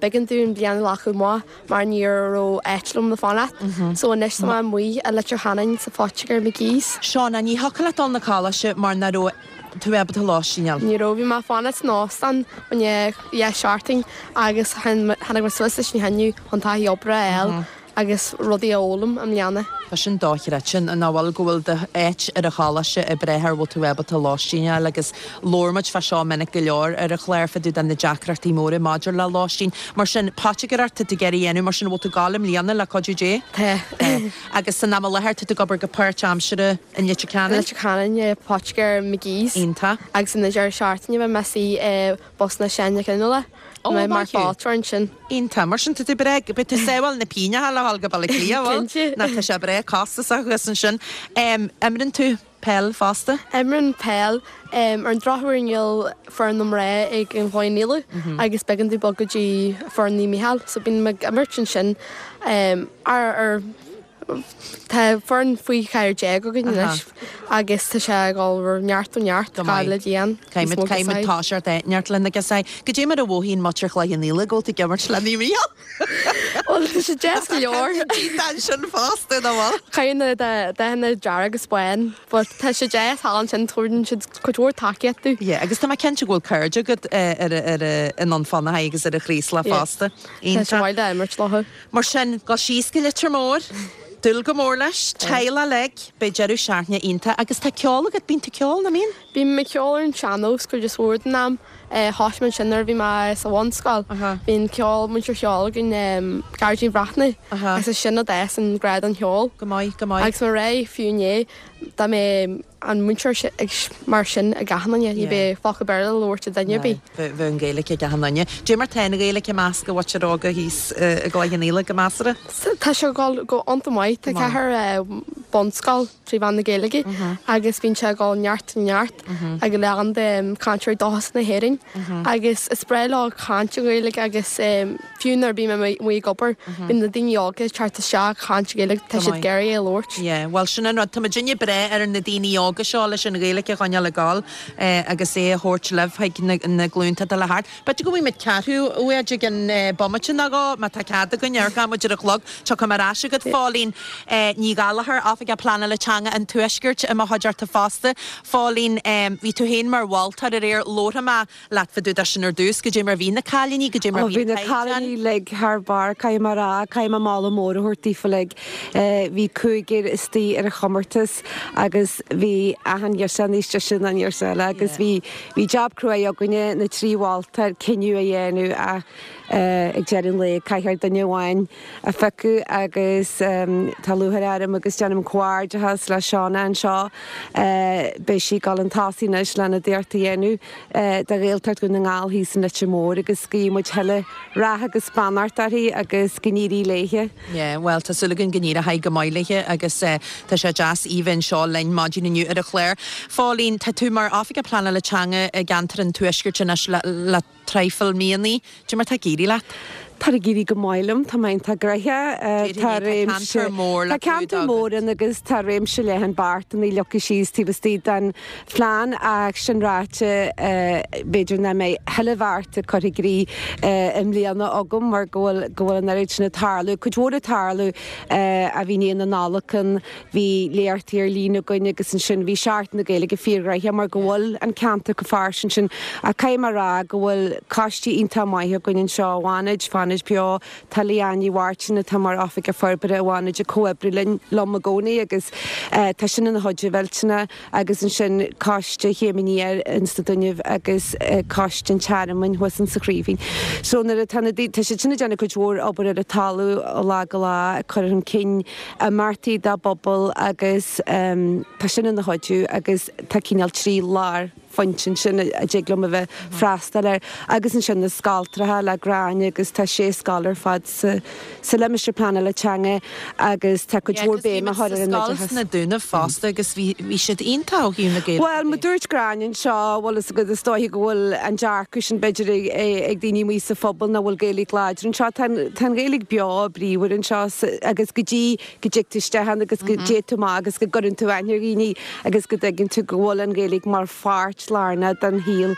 B'éigean dúinn bliain a ghlacadh amach mar ní raibh áit liom le fanacht. So anois tá mé amuigh i Leitir Ceanainn sa phoitigéir McGee's. Shauna, ní thiocfadh leat dul 'na coláiste mar nach raibh tú ábalta lóistín a fháil. Ní raibh, bhí mé ag fanacht san óstán fá choinne dhá seachtain agus tháinig mé suas leis an chinneadh chun taithí oibre a fháil. agus rudaí a fhoghlaim i mbliana. Tá sin dochreidte, nach bhfuil, go bhfuil d'áit ar an choláiste ag brath ar bhfuil tú ábalta lóistín a fháil agus labhair muid fá seo minic go leor ar an chlár fá dtaobh de na deacrachtaí móra maidir le lóistín. Mar sin, poitigéireacht tá tú ag iarraidh a dhéanamh, mar sin bhfuil tú ag gabháil i mbliana le cuidiú Dé? Tá. Tá. Agus san am i láthair tá tú ag obair go páirtaimseartha i Leitir Ceanainn? I Leitir Ceanainn, i poitigéir McGee's. Iontach. Agus an deireadh seachtaine beidh mé istigh i Bus na Sean Coinneála. Ó, Mé mar maith thú. fáilteoir ansin. Iontach. Mar sin, tá tú breá, beidh tú ag sábháil na pingneacha le dhul go Baile Átha Cliath, bhfuil? Cinnte. Nó tá sé breá costasach thuas ansin. Imríonn tú peil fosta? Imrím peil. Ar an drochuair níl foireann na mná ag an Chloich Cheann Fhaola agus b'éigean domh bogadh go dtí foireann Naomh Mícheál so bím ag imirt ansin ar ar Tá foireann faoi 14 againn anois agus tá sé ag dul ó neart go neart Go maith. le bliain. Caithfidh muid, caithfidh muid toiseacht neart le na girseachaí. Goidé mar a mhothaíonn muintir Chloich Cheann Fhaola go bhfuil tú ag imirt le Naomh Mícheál? Bhuel, tá Tá sé deas go leor. Ansin fosta, nach bhfuil? Caitheann na dathanna dearg agus bán, but tá sé deas thall ansin, tabharann siad cuid mhór tacaíocht domh. Yeah, agus tá mé cinnte go bhfuil cairde agat ar i nDún Fionnachaidh agus ar an Chraoslach fosta. Tá sé maith le imirt leo. Mar sin, gabh síos go Leitir Móir, dúil go mór leis, teaghlach uilig, beidh deireadh seachtaine iontach agus tá ceol agat, bíonn tú ag ceol, nach mbíonn? Bím ag ceol ar an sean-nós cuid is mhór den am. Thosaigh mé ansin nuair a bhí mé sa bhunscoil. Bhí an ceol, múinteoir cheoil againn, Gearóidín Bhreathnach, agus is sin a d'fhás an grá don cheol. Go maith, go maith. Agus mar é, fiú inné, dá mbeadh an múinteoir ag mar sin ag achan duine, ní bheadh focal Béarla le labhairt ag duine ar bith. Bheadh an Ghaeilge ag achan duine. Dé mar tá an Ghaeilge i measc an mhuintir óga thíos i gCloich Cheann Fhaola, go measartha? Tá sé ag dul go iontach maith. Tá ceathrar bunscoil. 3 mheán na Gaeilge agus bíonn sé ag dul neart neart ag a lán de cainteoirí dúchais na hÉireann agus is breá leo caint i nGaeilge agus fiú nuair a bím amuigh ag obair bíonn na daoine óga ag teacht isteach ag caint i Gaeilge tá siad ag iarraidh é a labhairt. Yeah, bhuel sin an rud, tá muidinne ag brath ar na daoine óga seo leis an Ghaeilge a choinneáil ag gabháil agus é a thabhairt libh chuig na glúnta atá le theacht. B'fhéidir go bhfaighidh muid ceathrú uait i gceann bomaite nó dhó, má tá cead againn, amharcfaidh muid ar an chlog. Tiocfaidh mé ar ais chugat, Phóilín Ní Ghallchóir, Oifigeach Pleanála Teanga an Tuaiscirt i mo chuideachta fosta. Phóilín, bhí tú féin mar mholtóir aréir, labharfaidh mé leat fá dtaobh de sin ar dtús, goidé mar bhí na cailíní, goidé mar bhí an caighdeán. Bhí na cailíní uilig thar barr, caithfidh mé a rá, caithfidh mé moladh mór a thabhairt daofa uilig. Bhí cúigear istigh ar an chomórtas agus bhí achan ghirseach níos deise ná an ghirseach eile agus bhí Bhí jab cruaidh againne, na 3 mholtóir, cinneadh a dhéanamh ach ag deireadh an lae caithfear duine amháin a phiocadh agus tá lúcháir orm agus déanaim comhghairdeachas le Shauna anseo. Beidh sí ag dul chun tosaigh anois lena d'iarracht a dhéanamh do Ghaeltacht Dhún na nGall thíos in Leitir Móir agus guíonn muid thuilleadh rath agus beannacht uirthi agus go n-éirí léithe. Yeah, bhuel, tá súil againn go n-éireoidh go maith léithe agus tá sé deas í bheith anseo linn maidin inniu ar an chlár. Phóilín, tá tú mar Oifigeach Pleanála Teanga i gceantar an Tuaiscirt anois le traidhfil míonnaí. Dé mar tá ag éirí leat? Tá ag éirí go maith liom, tá mé iontach gnoitheach. Tá réimse, tá ceantar mór le clúdach agat. Tá ceantar mór ann agus tá réimse leathan beartanna leagtha síos taobh istigh den phlean ach sin ráite b'fhéidir nach mbeidh chuile bheart curtha i gcrích i mbliana agam mar go bhfuil go bhfuil an oiread sin ag tarlú. Cuid mhór ag tarlú a bhí i ndiaidh na Nollag ann, bhí léachtaí ar líne againn agus ansin bhí Seachtain na Gaeilge fíorghnoitheach mar go bhfuil an ceantar chomh fairsing sin ach caithfidh mé a rá go bhfuil coistí iontach maith againn anseo i bhFánaid, Fánaid Beo, Tá Leanne Ní Mháirtín atá mar Oifigeach Forbartha i bhFánaid ag comhoibriú linn, liom i gcónaí agus tá sin ina chuid mhillteanach agus ansin Coiste Chéim Aniar ins na Dúnaibh agus Coiste an Tearmainn thuas insa Chraoibhín. So nuair atá na daoine, tá siad sin ag déanamh cuid mhór obair ar an talamh ó lá go lá ag cur chun cinn imeachtaí dá bpobal agus tá sin ina chuidiú agus tá cineál 3 lár phointe ansin a dtig liom a bheith freastal air. Agus ansin na scoltracha le Gráinne agus tá sé scoil ar fad sa sa limistéar pleanála teanga agus tá cuid mhór béim á chur ar an oideachas. Scoil sna Dúnaibh fosta agus bhí bhí siad iontach ó thaobh na Gaeilge Bhuel, mar dúirt Gráinne anseo, bhfuil fhios agat, is dóiche go bhfuil an dearcadh sin b'fhéidir ag ag daoine amuigh sa phobal nach bhfuil Gaeilge láidir anseo. Tá an tá an Ghaeilge beo bríomhar anseo agus go dtí go dtig tú isteach ann agus go dtéann tú amach agus go gcuireann tú aithne ar dhaoine agus go dtuigeann tú go bhfuil an Ghaeilge mar pháirt lárnach den shaol,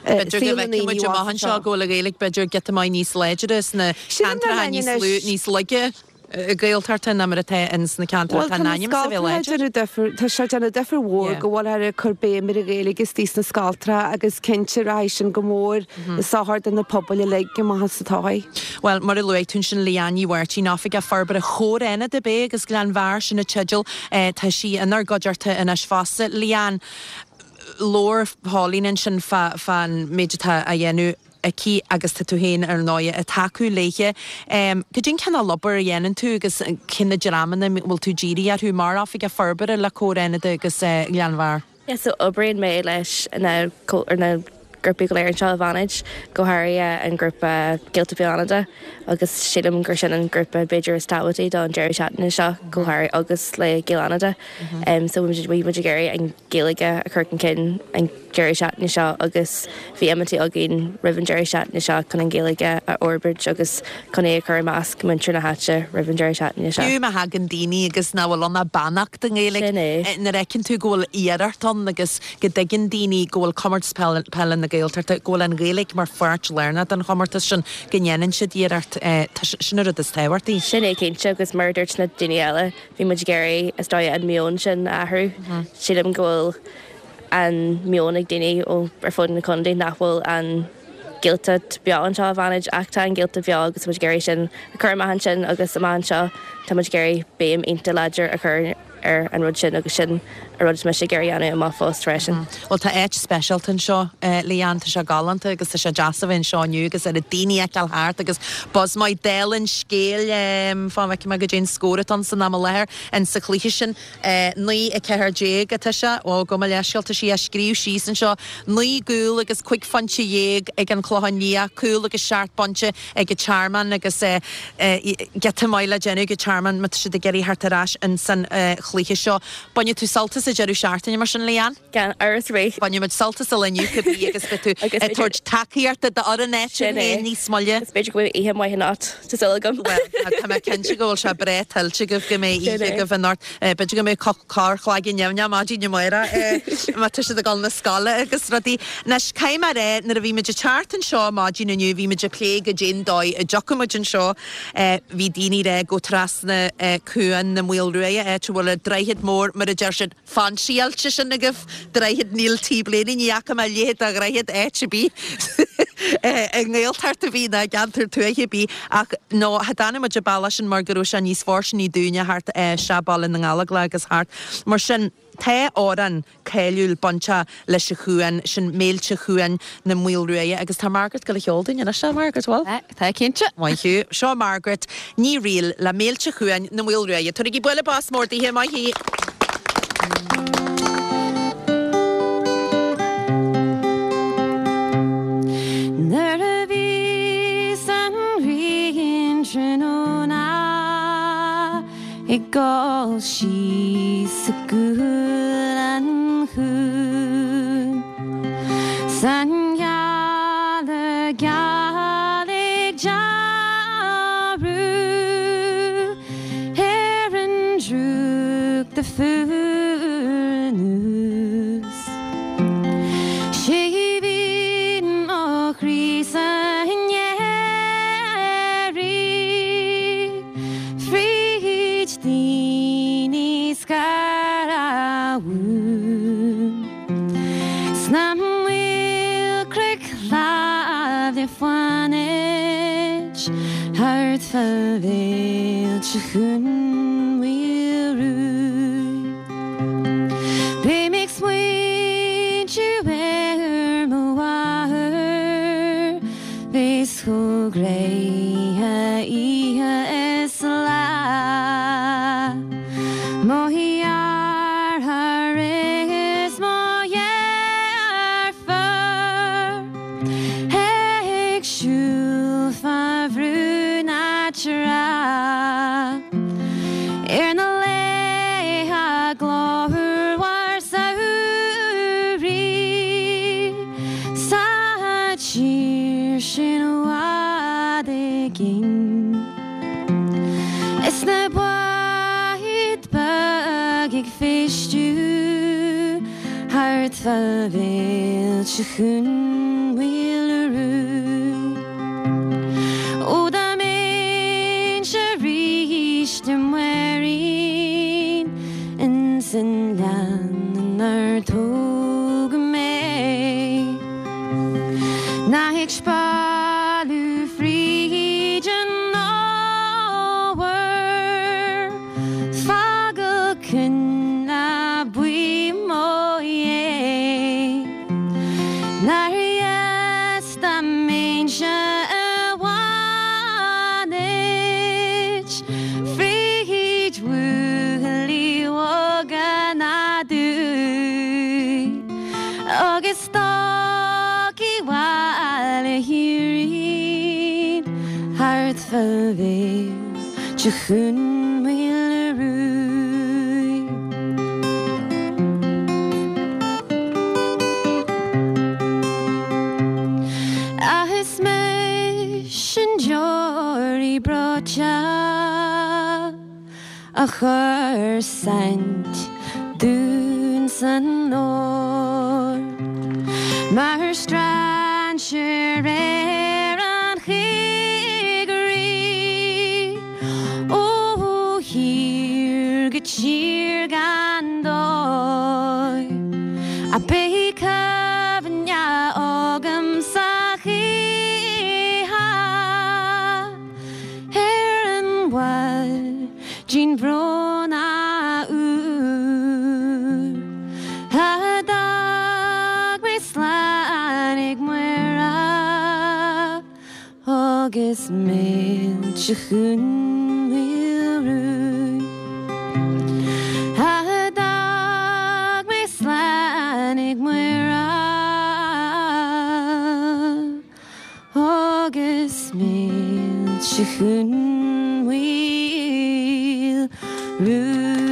B'fhéidir go bhfeicfidh muid amach anseo go bhfuil an Ghaeilge b'fhéidir giota maith níos láidre sna ceantracha níos lú, níos laige Gaeltachta ná mar atá ins na ceantracha atá in ainm is a bheith láidir. Tá sé ag déanamh difear mhór go bhfuilthear ag cur béim ar an Ghaeilge istigh sna scoltracha agus cinnte rachaidh sin go mór i sochar do na pobail uilig amach sa todhchaí. Bhuel, mar a luaigh tú ansin, Leanne Ní Mháirtín, Oifigeach Forbartha Chomhar Fhánada, ab é, agus Gleann Bhearr, sin an teideal. Tá sí inár gcuideachta anois fosta. Leanne, labhair Pauline ansin fán méid atá á dhéanamh aici agus tá tú féin, ar ndóigh, ag tacú léithe. Cad é an cineál obair a dhéanann tú agus cé na dreamanna a bhfuil tú dírithe orthu mar Oifigeach Forbartha le Comhar Fhánada agus Gleann Bhearr? Yeah so oibríonn mé leis na na grúpaí go léir anseo i bhFánaid, go háirithe an grúpa Gaeltacht Beo Fhánada agus sílim gur sin an grúpa b'fhéidir is tábhachtaí don deireadh seachtaine seo go háirithe agus le Gaeil Fhánada. So bhí muid ag iarraidh an Ghaeilge a chur chun cinn an deireadh seachtaine seo agus bhí imeachtaí againn roimh an deireadh seachtaine seo chun an Ghaeilge a fhorbairt agus chun é a chur i measc muintir na háite roimh an deireadh seachtaine seo. Fiú má thagann daoine agus nach bhfuil ann ach beannacht i nGaeilge, Sin é. nuair a fheiceann tú go bhfuil iarracht ann agus go dtuigeann daoine go bhfuil Comórtas Peile na. Gaeltachta, go bhfuil an Ghaeilge mar pháirt lárnach den chomórtas sin, go ndéanann siad iarracht, sin an rud is tábhachtaí. Sin é cinnte agus mar a dúirt na daoine eile, bhí muid ag iarraidh, is dóigh, an meon sin a athrú. Sílim go bhfuil an meon ag daoine ó ar fud an chontae nach bhfuil an Ghaeltacht beo anseo i bhFánaid ach tá an Ghaeltacht beo agus tá muid ag iarraidh sin a chur amach ansin agus amach anseo tá muid ag iarraidh béim iontach láidir a chur ar an rud sin agus sin an rud is mise ag iarraidh a dhéanamh i mo phost freisin. Bhuel tá áit speisialta anseo Leanne, tá sé galánta agus tá sé deas a bheith anseo inniu agus oiread daoine a fheiceáil thart agus buzz maith dála an scéil fan go bhfeicfidh mé goidé an scór atá ann san am i láthair in sa chluiche sin. 9, 14 atá sé. Ó, gabh mo leithscéal, tá sí á scríobh síos anseo. 9 gcúl agus 15 phointe ag an Clochán Liath, cúl agus 7 bpointe ag an Tearmann agus giota maith le déanamh ag an Tearmann má tá siad ag iarraidh theacht ar ais insan chluiche seo. Bainfidh tú sult as an deireadh seachtaine mar sin, Leanne? Gan amhras ar bith. Bainfidh muid sult as an lá inniu cibé agus beidh tú ag tabhairt tacaíochta d'fhoireann áitiúil féin níos moille. Is b'fhéidir go mbeidh oíche mhaith anocht, tá súil agam. Bhuel, tá mé cinnte go bhfuil sé breá tuillte agaibh go mbeidh oíche agaibh anocht. B'fhéidir go mbeidh corrchloigeann nimhneach maidin amárach má tá siad ag dul na scoile agus rudaí. Anois, caithfidh mé a rá, nuair a bhí muid ag teacht anseo maidin inniu, bhí muid ag plé goidé'n dóigh a dtiocfadh muid anseo. Bhí daoine ag rá gabh trasna Cuan na Maoilruaidhe, áit a bhfuil an droichead mór, mar a deir siad, Fancyáilte sin agaibh, Droichead Neil T. Blaney, ní fhaca mé a leithéid de dhroichead áit ar bith i nGaeltacht ar bith ná i gceantar tuaithe ar bith ach no, cha dtáinig muid an bealach sin mar go raibh sé níos fóirsteanaí dúinne thart isteach Baile na nGallóglach agus thart. Mar sin, tá amhrán cáiliúil bainteach leis an chuan, sin Méilte Chuan na Maoilruaidhe agus tá Margaret ag gabháil a cheol dúinn anois, a Margaret, bhfuil? Tá, cinnte. Maith thú. Seo Margaret Ní Fhrighil le Méilte Chuan na Maoilruaidhe. Tabharaigí bualadh bos mór daoithe, maith thí! Nuair a bhíos an ghrian tráthnóna Ag dul síos i gcúl an chuain 's an ghealach geal ag dealramh ar an drúcht a fuar anuas. 'Sé bhí mo chroí san earraigh. Fríd daoine scaradh Sna maolchnoic shleamhna le Fánaid Thart fá mhéilte Chuan Mhaoilruaidh Beidh mé ag smaointiú ar mo mháthair Bheas chomh gréithe oíche is lá. Mo dheartháir is mo dheirfiúr ag siúl fá bhrú na trá ar na laetha glórmhar samhraidh sa tír sin i bhfad i gcéin. Is na báid beag ag feistiú thart fá mhéilte Chuan Mhaoilruaidh. Ó dá mbeinnse arís i Máirín ins an ngleann inar tógadh mé. Ná ag spealadh fríd an fhómhar, fágáil coinnle buí mo dhéidh. Nár dheas dá mbeinnse i bhFánaid fríd bhuachaillí óga na dtuath agus Stocaí Bhaile Thírín thart fá mhéilte Chuan Mhaoilruaidh. Ach is mise an deoraí breoite. A chuir saint dúinn san ór mar stracadh. aimsir ar an choigríoch ó thír go tír gan dóigh ach beidh cuimhne agamsa choíche ar an mhaidin bhrónach úr a d'fhág mé slán ag Muire agus mílte Dhún Maoil Ruaidh a d'fhág mé slán ag Muire. Agus mílte Dhún Maoil Ruaidh.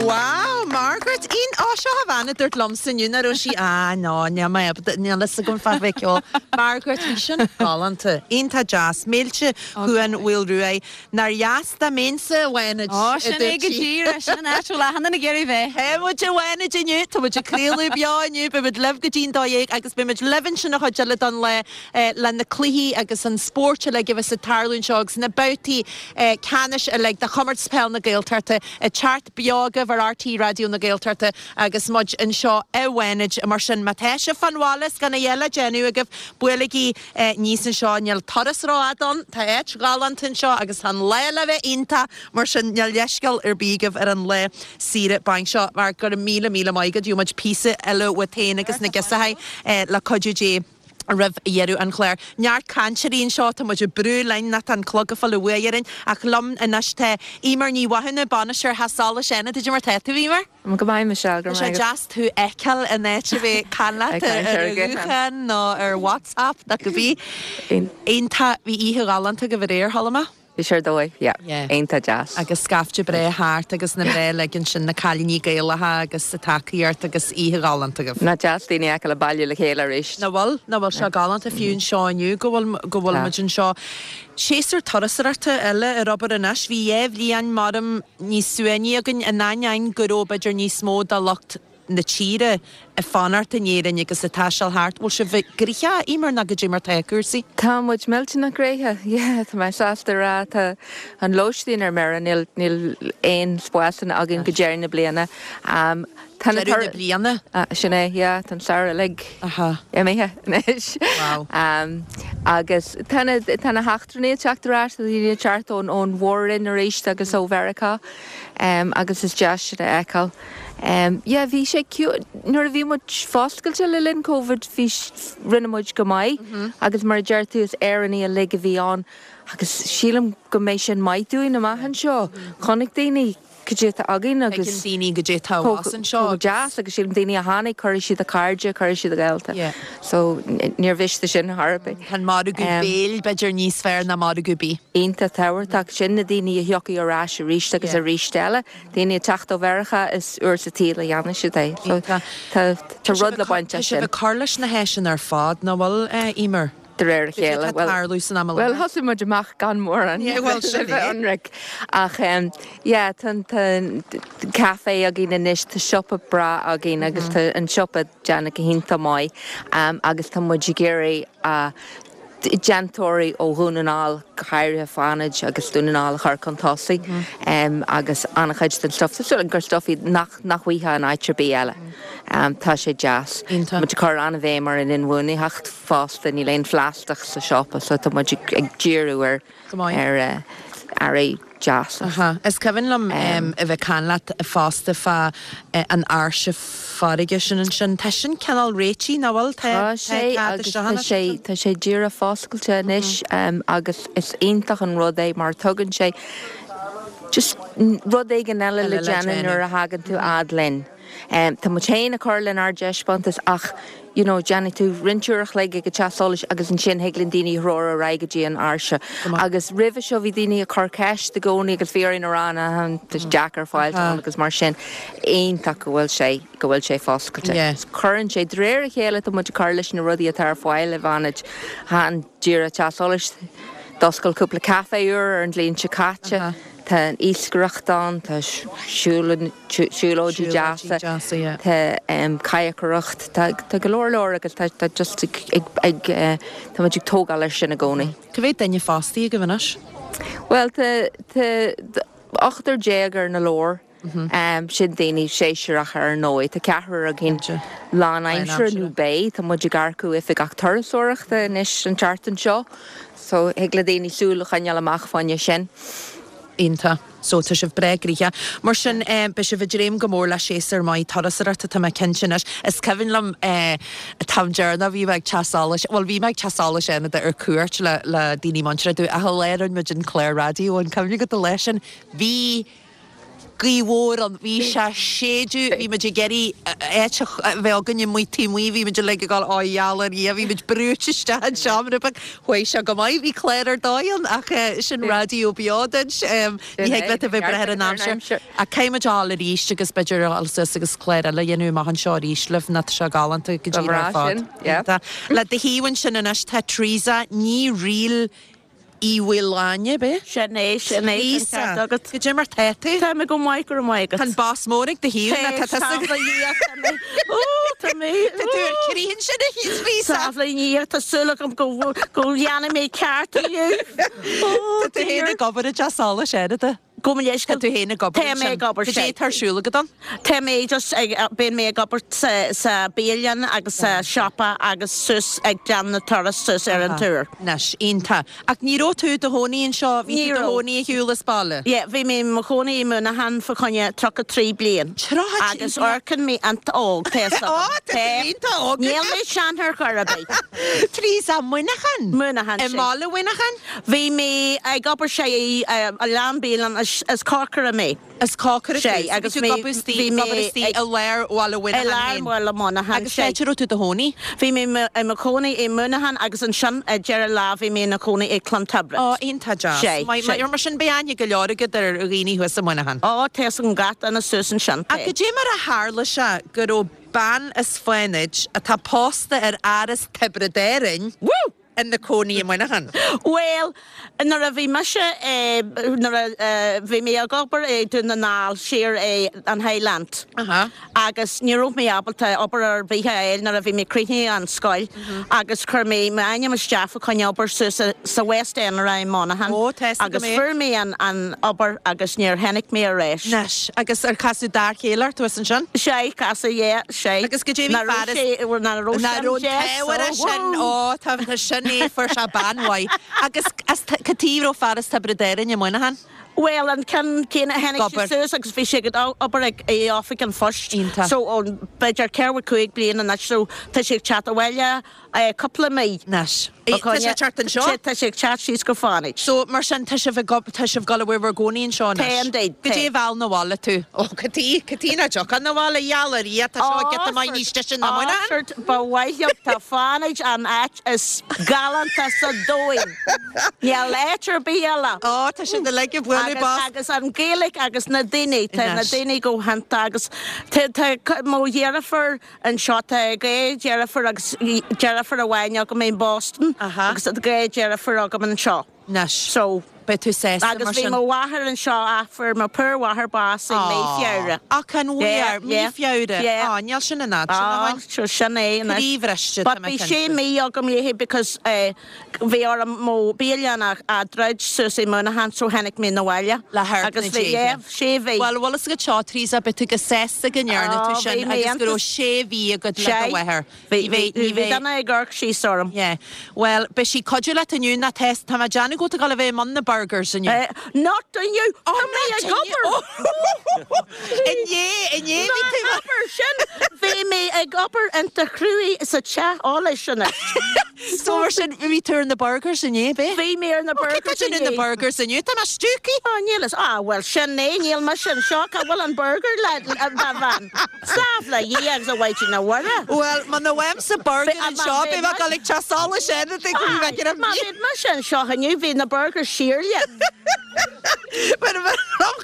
Wow, Margaret, Ian, ó seo a bhean a dúirt liomsa inniu nach raibh sí, ah no, níl mé ábalta, níl fhios agam fá bheith ceol. Margaret, bhí sin galánta, iontach deas, Mílte Chuan Mhaoil Ruaidh. Nár dheas dá mbeinnse i bhFánaid, Ó, sin é go díreach, sin an áit a bhfuil achan duine ag iarraidh bheith. Tá muid i bhFánaid inniu, tá muid ag craoladh beo inniu, beidh muid libh go dtí'n 12 agus beidh muid libh ansin an chuid eile den lá le na cluichí agus an spórt uilig a bheas ag tarlú anseo agus na babhtaí ceannais uilig de Chomórtas Peil na Gaeltachta ag teacht beo agaibh ar RTÉ Raidió na Gaeltachta agus muid anseo i bhFánaid. Mar sin, má tá sibh fán bhaile is gan a dhath le déanamh agaibh, buailigí aníos anseo. Níl turas rófhada ann, tá áit ghalánta anseo agus tá an lá le bheith iontach, mar sin níl leithscéal ar bith agaibh ar an lá saoire bainc seo. Mar go raibh míle míle maith agat, gheobhaidh muid píosa eile uait féin agus na girseachaí le cuidiú Dé roimh dheireadh an chláir. Neart cainteoirí anseo, tá muid ag brú linn nó tá an clog ag fáil an bhuaidh orainn ach liom anois tá Eimear Ní Mhathúna, Bainisteoir Theach Solais Fhánada. Cad é mar tá tú, Eimear? Go maith, Michelle, go Tá sé raibh maith agat. deas tú a fheiceáil in áit a bheith ag caint leat Ag caint ar ar an ghuthán. ghuthán nó ar WhatsApp nó cibé. Iontach, bhí oíche ghalánta agaibh aréir, chuala mé. Bhí sé ar dóigh, yeah. Yeah. Iontach deas. Agus scaifte breá thart agus na mná uilig ansin, na cailíní Gaelacha agus an tacaíocht agus oíche ghalánta agaibh. Nach deas daoine a fheiceáil ag bailiú le chéile arís. Nach bhfuil, nach bhfuil sé galánta fiú anseo inniu go bhfuil, go bhfuil Tá. muid anseo. Séasúr turasóireachta eile ar obair anois. Bhí 2 bhliain maram níos suaimhní againn in ainneoin go raibh b'fhéidir níos mó de lucht na tíre ag fanacht in Éirinn agus ag taisteal thart. Bhfuil sibh gnoitheach, Eimear, nó goidé mar tá cúrsaí? Tá muid millteanach gnoitheach, yeah, tá mé sásta a rá. Tá an lóistín ar mire, níl, níl aon spásanna againn go deireadh na bliana. Tá na Deireadh na bliana? Sin é, yeah, tá an samhradh uilig imithe anois. Wow. Agus tá na, tá na heachtrannaigh ag teacht ar ais, tá daoine ag teacht ón, ón Mhór-Roinn arís agus ó Mheiriceá agus is deas sin a fheiceáil. Yeah, bhí sé ciúin, nuair a bhí muid foscailte le linn Covid bhí, rinne muid go maith agus mar a deir tú is Éireannaigh uilig a bhí ann agus sílim go mbeidh sin maith dúinn amach anseo. Chonaic daoine cad é atá againn agus. Tuigeann daoine goidé atá abhus anseo agus. Chomh deas agus sílim daoine a tháinig, cuirfidh siad a cairde, cuirfidh siad a gaolta. Yeah. So níor mhiste sin ar chor ar bith. Tá an margadh béil b'fhéidir níos fearr ná margadh bídh. Iontach tábhachtach sin na daoine a thiocfaidh ar ais arís agus arís eile. Daoine ag teacht ó Mheiriceá is uair sa tsaol a dhéanann siad é. So tá tá rud le baint Tá as sibh sin. ag cur leis na háiseanna ar fad, nach bhfuil, Eimear? de réir a chéile. Cad é atá ag tarlú san am i Bhuel, láthair? thosaigh muid amach gan mórán, Yeah, bhuel, sin le bheith é. ionraic. Ach yeah, tá an café againn anois, tá siopa breá againn agus tá an siopa déanta go hiontach maith agus tá muid ag iarraidh déantóirí ó Dhún na nGall, go háirithe Fánaid agus Dún na nGall a chur chun tosaigh agus an-chuid den stuif, tá súil agam gur stuif iad nach nach bhfaighfeá in áit ar bith eile. Tá sé deas. Iontach. Tá muid ag cur an-bhéim ar an inbhuanaitheacht fosta, níl aon phlaisteach sa siopa so tá muid ag díriú ar Go maith. ar earraí deasa. Aha. Is cuimhin liom a bheith ag caint leat fosta fá an áirse farraige sin ansin. Tá sin cineál réitithe, nach bhfuil? Tá Tá sé cead agus isteach tá anois sé ansin. tá sé díreach foscailte anois agus is iontach an rud é mar tugann sé just rud éigin eile le déanamh nuair a thagann tú fhad linn. Tá muid féin ag cur lenár dtaispeántas ach you know déanfaidh tú roinnt uair a chloig ag an teach solais agus ansin thig linn daoine a threorú ar aghaidh go dtí an áirse. Agus roimhe seo bhí daoine ag cur ceist i gcónaí agus bhí orainn a rá na tá sé deacair fáilt ann agus mar sin iontach go bhfuil sé go bhfuil sé foscailte. Cuireann sé de réir a chéile tá muid ag cur leis na rudaí atá ar fáil i bhFánaid. Chan díreach teach solais. D'oscail cúpla café úr ar an bhliain seo caite. Tá an iascaireacht ann, tá siúlóidí deasa, tá cadhcaireacht, tá go leor leor agus tá just ag, ag, tá muid ag tógáil air sin i gcónaí. Cá mhéad duine fostaithe agaibh anois? Bhuel, tá, tá 18 ar na leabhair. Sin daoine séasúrach ar ndóigh. Tá ceathrar againn lánaimseartha nó beidh. Tá muid ag earcú oifigeach turasóireachta anois an tseachtain seo so thig le daoine súil a choinneáil amach fá choinne sin. Iontach. So tá sibh breá gnoitheach. Mar sin beidh sibh ag dréim go mór le séasúr maith turasóireachta tá mé cinnte anois. Is cuimhin liom an t-am deireanach bhí mé ag Teach Solais, bhuel bhí mé ag Teach Solais Fhánada ar cuairt le le daoine muinteartha domh ach an lá a rinne muid an clár raidió an cuimhin agat an lá sin bhí gaoth mhór ann, bhí sé ag séideadh, bhí muid ag iarraidh áit a bheith againn amuigh taobh amuigh, bhí muid uilig ag dul, ó gheall ar Dhia, bhí muid brúite isteach an seomra beag, chuaigh sé go maith, bhí clár ar dóigh ann ach sin raidió beo duit, ní thig leat a bheith ag brath ar an aimsir. Ach caithfidh muid a dhul arís agus b'fhéidir a dhul suas agus clár eile a dhéanamh amach anseo arís libh, nó tá sé galánta go díreach ar fad. Le do thaobh ansin anois tá Teresa Ní Fhrighil Uí Mhaoláin, ab ea? Sin é, sin é, tá an ceart agat. Goidé mar tá tú? Tá mé go maith, go raibh maith agat. Tá an bos mór ag do thaobh, nó tá tusa. Samhlaigh Dhia, tá mé, ó, tá mé, Tá tú ar crith ansin, a Teresa. Samhlaigh Dhia, tá súil agam go, go ndéanfaidh mé ceart inniu. Ó, Tá tú féin ag obair i dTeach Solais Fhánada. Gabh mo leithscéal. Tá tú féin ag obair Tá mé ansin. ag obair, Goidé sea. atá ar siúl agat ann? Tá mé just ag, bíonn mé ag obair sa, sa bialann agus sa siopa agus suas ag déanamh na turas suas ar an túr. Anois, iontach. Ach ní raibh tú i do chónaí anseo, bhí Ní tú i do raibh. chónaí ar shiúl as baile? Yeah, bhí mé i mo chónaí i Muineachán fá choinne 33 bliain. 33 Agus bliain? amharcann mé iontach óg, tá fhios agam. Ó, tá tú iontach óg. Níl mé sean ar chor ar bith. Teresa, Muineachán? Muineachán, I sea. mbaile Mhuineacháin? Bhí mé ag obair sé i oileán bialann is cócaire mé. Is cócaire tú. Sé agus Bhí tú ag obair istigh bhí ag mé obair istigh i lár Bhaile i Mhuineacháin lár féin. Bhaile Mhuineacháin, Agus sé. cá háit a raibh tú i do chónaí? Bhí mé i mo chónaí i Muineachán agus ansin ag deireadh lá bhí mé ina chónaí i Clontibret. Ó, iontach deas. Sé, Maith, sé. maith, mar sin beidh aithne go leor agat ar dhaoine thuas i Muineachán. Ó, tá fhios agam gach duine suas ansin. Ach goidé mar a tharla sé go raibh bean as Fánaid atá pósta ar fhear as Tiobraid Árainn, Woo! ina cónaí i Muineachán. Bhuel, nuair a bhí mise, nuair a bhí mé ag obair i Dún na nGall, siar i an Highland agus ní raibh mé ábalta obair ar bith a fháil nuair a bhí mé críochnaithe an scoil agus chuir mé m'ainm isteach fá choinne obair suas sa West End i Monaghan agus fuair mé an obair agus níor tháinig mé ar ais. Anois, agus ar casadh d'fhear céile ort thuas ansin? Sea, casadh, yeah. Sé. Agus goidé bhí Ná fear raibh sé, ná raibh Ná sin raibh an deas, t-ádh air ó, sin, woo! ó, tá, tá sin é, fuair sé bean mhaith. Agus as, cad chuige a raibh fear as Tiobraid Árainn i Muineachán? Bhuel, an ceann céanna, tháinig sé Obair. suas agus bhí sé ag obair ag, i oifig an phoist. Iontach. So, ó, b'fhéidir ceathracha cúig bliain anois, so tá sé ag teacht abhaile, cúpla mí. Anois. Tá sé ag teacht anseo? Tá sé ag teacht síos go Fánaid. So, mar sin, tá sibh ag, tá sibh ag dul a bheith bhur gcónaí anseo anois? Tá indeed, tá. Goidé a mheall 'na bhaile tú? Ó, cad chuige, cad chuige nach dtiocfá 'na bhaile, gheall ar Dhia, tá seo giota maith níos deise ná Muineachán. Ó, ba mhaith liom, tá Fánaid an áit is galánta sa domhain. Níl áit ar bith eile. Ó, tá siad uilig ag bualadh bos. Agus an Ghaeilge agus na daoine, tá na daoine go hiontach agus tá, tá mo dheirfiúr, Anseo tá dhá dheirfiúr agus deirfiúr amháin agam i mBoston agus tá dhá dheirfiúr agam anseo. Anois, So. beidh tú sásta mar Agus bhí sin. mo mháthair anseo ach fuair mo poor mháthair bás i mí Feabhra. Ach an Yeah, bhfuair? Mí yeah, Feabhra? yeah. Á, níl sin an fhad sin Á, ó shin. sure, sin é anois. Croíbhriste, tá But mé bhí sé cinnte. mí agam léi because eh, bhí orm mo bialann a a druid suas i Muineachán so tháinig mé 'na bhaile. Le hamharc Agus na bhí, déithe. yeah, sé mhí. Bhuel, bhfuil fhios agat seo, Teresa, beidh tú go sásta go ndearna tú Á, sin bhí mé agus go raibh iontach. sé mhí agat le do Sé. mháthair. Bhí, Ní bheidh, bhí, ní bhí bheidh. duine ag amharc síos orm. Yeah. Bhuel, beidh sí cuidiú leat inniu, nó tá, tá mé ag déanamh go bhfuil tú ag dul a bheith i mbun na burgers inniu. Eh, not inniu! Oh, Tá mé not ag inniu! obair! Inné, inné bhí tú. Ná abair sin! Bhí mé ag obair iontach cruaidh sa teach eolais anois. So mar sin, bhí tú ar na burgers inné, b'é? Bhí mé ar na Ó, cé tá burgers déanamh na inné. burgers inniu? Tá mé stiúgtha! Á, níl fhios. Á, bhuel, sin é, níl mise anseo, cá bhfuil an burger le, a bhean? Sámh le Dhia agus a Mhaighdean Mhuire. Bhuel, muna bhfaighimse burger Bhí- anseo, beidh mé ag dul ag teach solais eile, go bhfeicfidh Má bhí mise anseo inniu, bhí na burgers siar leat. Mar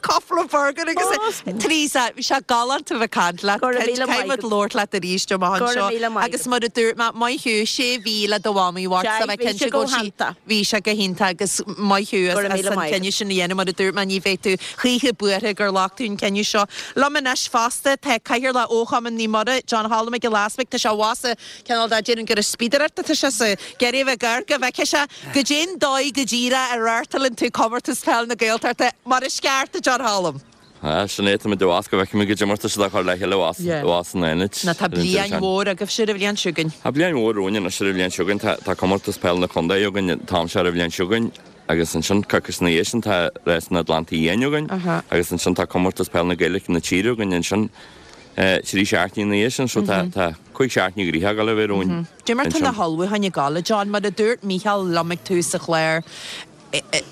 cúpla burger agus Teresa, bhí sé galánta bheith ag caint leat. Go raibh míle maith agat. Caithfidh muid labhairt leat arís amach Go raibh anseo. míle maith Agus mar a dúirt mé, maith thú, sé mhí le do mhamaí a thabhairt, tá mé Bhí cinnte sé go go bhfuil sí, hiontach. bhí sé go hiontach agus maith thú as Go raibh míle as an maith agat. cinneadh sin a dhéanamh. Mar a dúirt mé, ní bheidh tú choíche buartha gur ghlac tú an cinneadh seo. Liom anois fosta tá Cathaoirleach Fhochumann Naomh Muire, John Cholm Mac Giolla Easpaig. Tá sé abhus sa cineál de, déarfainn gur ag spíodaireacht atá sé sa geireadh bheith gar go bhfeicfidh sé goidé'n dóigh go díreach a reáchtálann tú Comórtas Peil na Gaeltachta mar is ceart, a John Cholm. Ah, sin é, tá muid abhus go bhfeicfidh muid goidé mar tá siad á chur le chéile abhus, abhus in Fhánaid. Nó tá bliain mhór agaibhse ar an bhliain seo chugainn. Tá bliain mhór romhainn anois ar an bhliain seo chugainn. Tá, tá Comórtas Peil na Contae againn an t-am seo ar an bhliain seo chugainn agus ansin coicís ina dhiaidh sin tá Rás an Atlantaigh Fhiáin againn agus ansin tá Comórtas Peil na Gaeilge na tíre againn ansin. 3 seachtainí ina dhiaidh sin, so tá 5 seachtainí gnoitheach ag dul a bheith romhainn Dé mar tá na hullmhúcháin ag dul, a John, mar a dúirt Mícheál liom ag tús an chláir,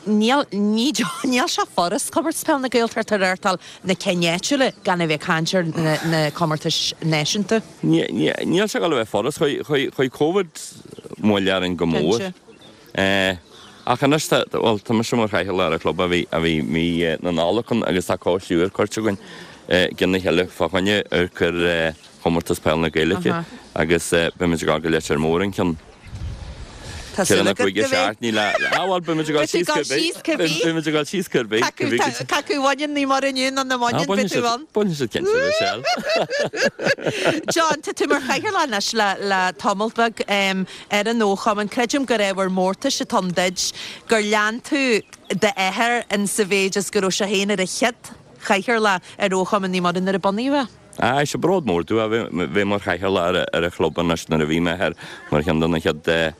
níl, níl sé furast Comórtas Peile na Gaeltachta a reáchtáil, na cinn áitiúla, gan a bheith ag caint ar na comórtais náisiúnta. Níl sé ag dul a bheith furast, chuaigh Covid moill orainn go mór. Ach anois tá, bhuel, tá mise mar chathaoirleach ar an chlub ó bhí, ó bhí mí na Nollag ann agus tá coiste úr curtha againn i gcionn a chéile fá choinne amharc ar Chomórtas Peile na Gaeilge agus beimid ag dul go Leitir Móir an ceann Tá ceithre súil nó agat cúig go mbeidh. seachtainí le, ah bhuel, beimid ag dul Beidh tú síos ag dul cibé, síos cibé. beimid ag dul síos cibé, Cé acu, cibé tá, go cé acu a bhaineann Naomh Muire inniu nó nach Ah, mbaineann, beidh bainfidh tú siad, ann. bainfidh siad cinnte, Michelle. John, tá tú mar chathaoirleach anois le, le tamall beag. Ar an fhochumann, creidim gur ábhar mórtais atá ann duit gur lean tú d'athair in sa mhéid is go raibh sé féin ar an chéad chathaoirleach ar fhochumann Naomh Muire nuair a bunaíodh é. Aye, is bród mór domh a bheith mar chathaoirleach ar an chlub anois nuair a bhí m'athair mar cheann de na chéad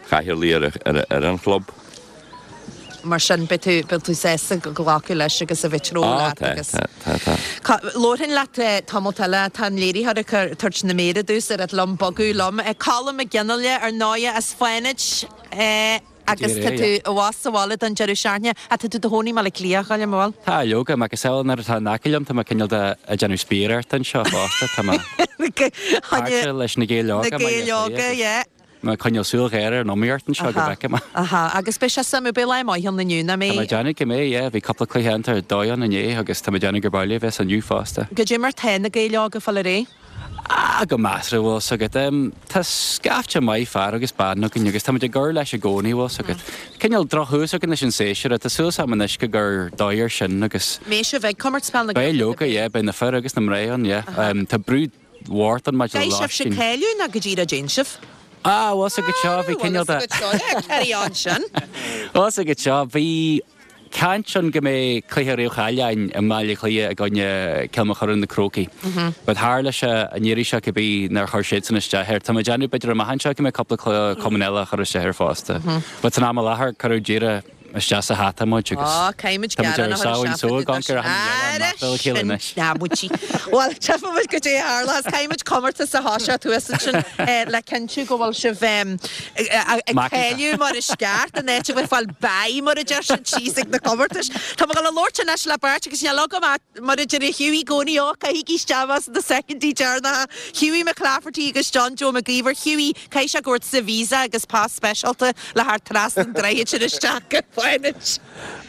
chathaoirligh ar an chlub. Mar sin, beidh tú, beidh tú sásta glacadh leis agus a bheith treo Á, leat tá, agus. tá, tá, tá. Labharfainn leat tamalt eile, tá an léiritheoir ag cur, tabhairt na méire domhsa ar liom bogadh liom. Colm Mac Fhionnghaile, ar ndóighe, as Fánaid, agus tá tú abhus sa bhaile don deireadh seachtaine. Ach tá tú i do chónaí i mBaile Átha Cliath, a Choilm, an bhfuil? Tá, leoga, macasamhail nuair atá in aice liom, tá mé cineál de ag déanamh spiaireachta anseo fosta, tá mé páirteach leis na Gaeil Óga, Na Gaeil Óga, yeah. Mé ag coinneáil súil ghéar ar an iomaíocht anseo go bhfeicfidh mé. Aha, agus beidh sé suimiúil, beidh lá maith ann inniu, nach Tá mé mbeidh? ag déanamh go mbeidh, yeah. Bhí cúpla cluiche iontach ar dóigh ann inné agus tá mé ag déanamh gurb amhlaidh a bheas inniu fosta. Goidé mar tá na Gaeil Óga ag fáil ar aghaidh? Ah, go measartha, bhfuil 's agat. Tá scaifte maith fear agus bean againn agus táimid ag cur leis i gcónaí, bhfuil 's agat. Cineál drochthús againn leis an séasúr, tá súil agam anois go gcur dóigh air sin agus. Mbeidh sibh ag Comórtas Peile na Beidh Gaeltachta? leoga, yeah, beidh na fir agus na mná ann, yeah. Tá brú Mhártan maidir le Caithfidh sibhse lóistín. cáiliú nó go díreach dtéann sibh? Ah, bhfuil 's agat seo, bhí cineál de. Bhfuil 's agat seo, carry on sin. Bhfuil 's agat seo, bhí caint ann go mbeidh cluiche réamh-cháilithe againn i mBaile Átha Cliath i gcoinne Cill Mochuda na Crócaigh. But tharla sé an iarraidh seo cibé nár chuir siadsan isteach air. Tá mé ag déanamh b'fhéidir amach anseo go mbeidh cúpla cumann eile a chur isteach air fosta. But san am i láthair cuireadh díreach isteach sa hata muid agus Á, caithfimid tá muid gearán ar a chur samhain isteach só fá ag amharc ar achan duine eile Ara amach le chéile sin anois. neamhaití. Bhuel, tchífidh muid goidé a tharlós. Caithfimid comórtas a thoiseacht thuas ansin le cinntiú go bhfuil sibh ag Macánta. cáiliú mar is ceart in áit a bheith ag fáil bye mar a deir siad síos ag na comórtais. Tá mé ag dul a labhairt anois le beirt agus níl agam ach mar a deir Hughie i gcónaí, ó, caithigí isteach as na soicindí deireanacha. Hughie McClafferty agus John Joe Mac Íomhair. Hughie, caithfidh sé go bhfuair tusa visa agus pas speisialta le theacht trasna an droichid sin isteach go Fánaid.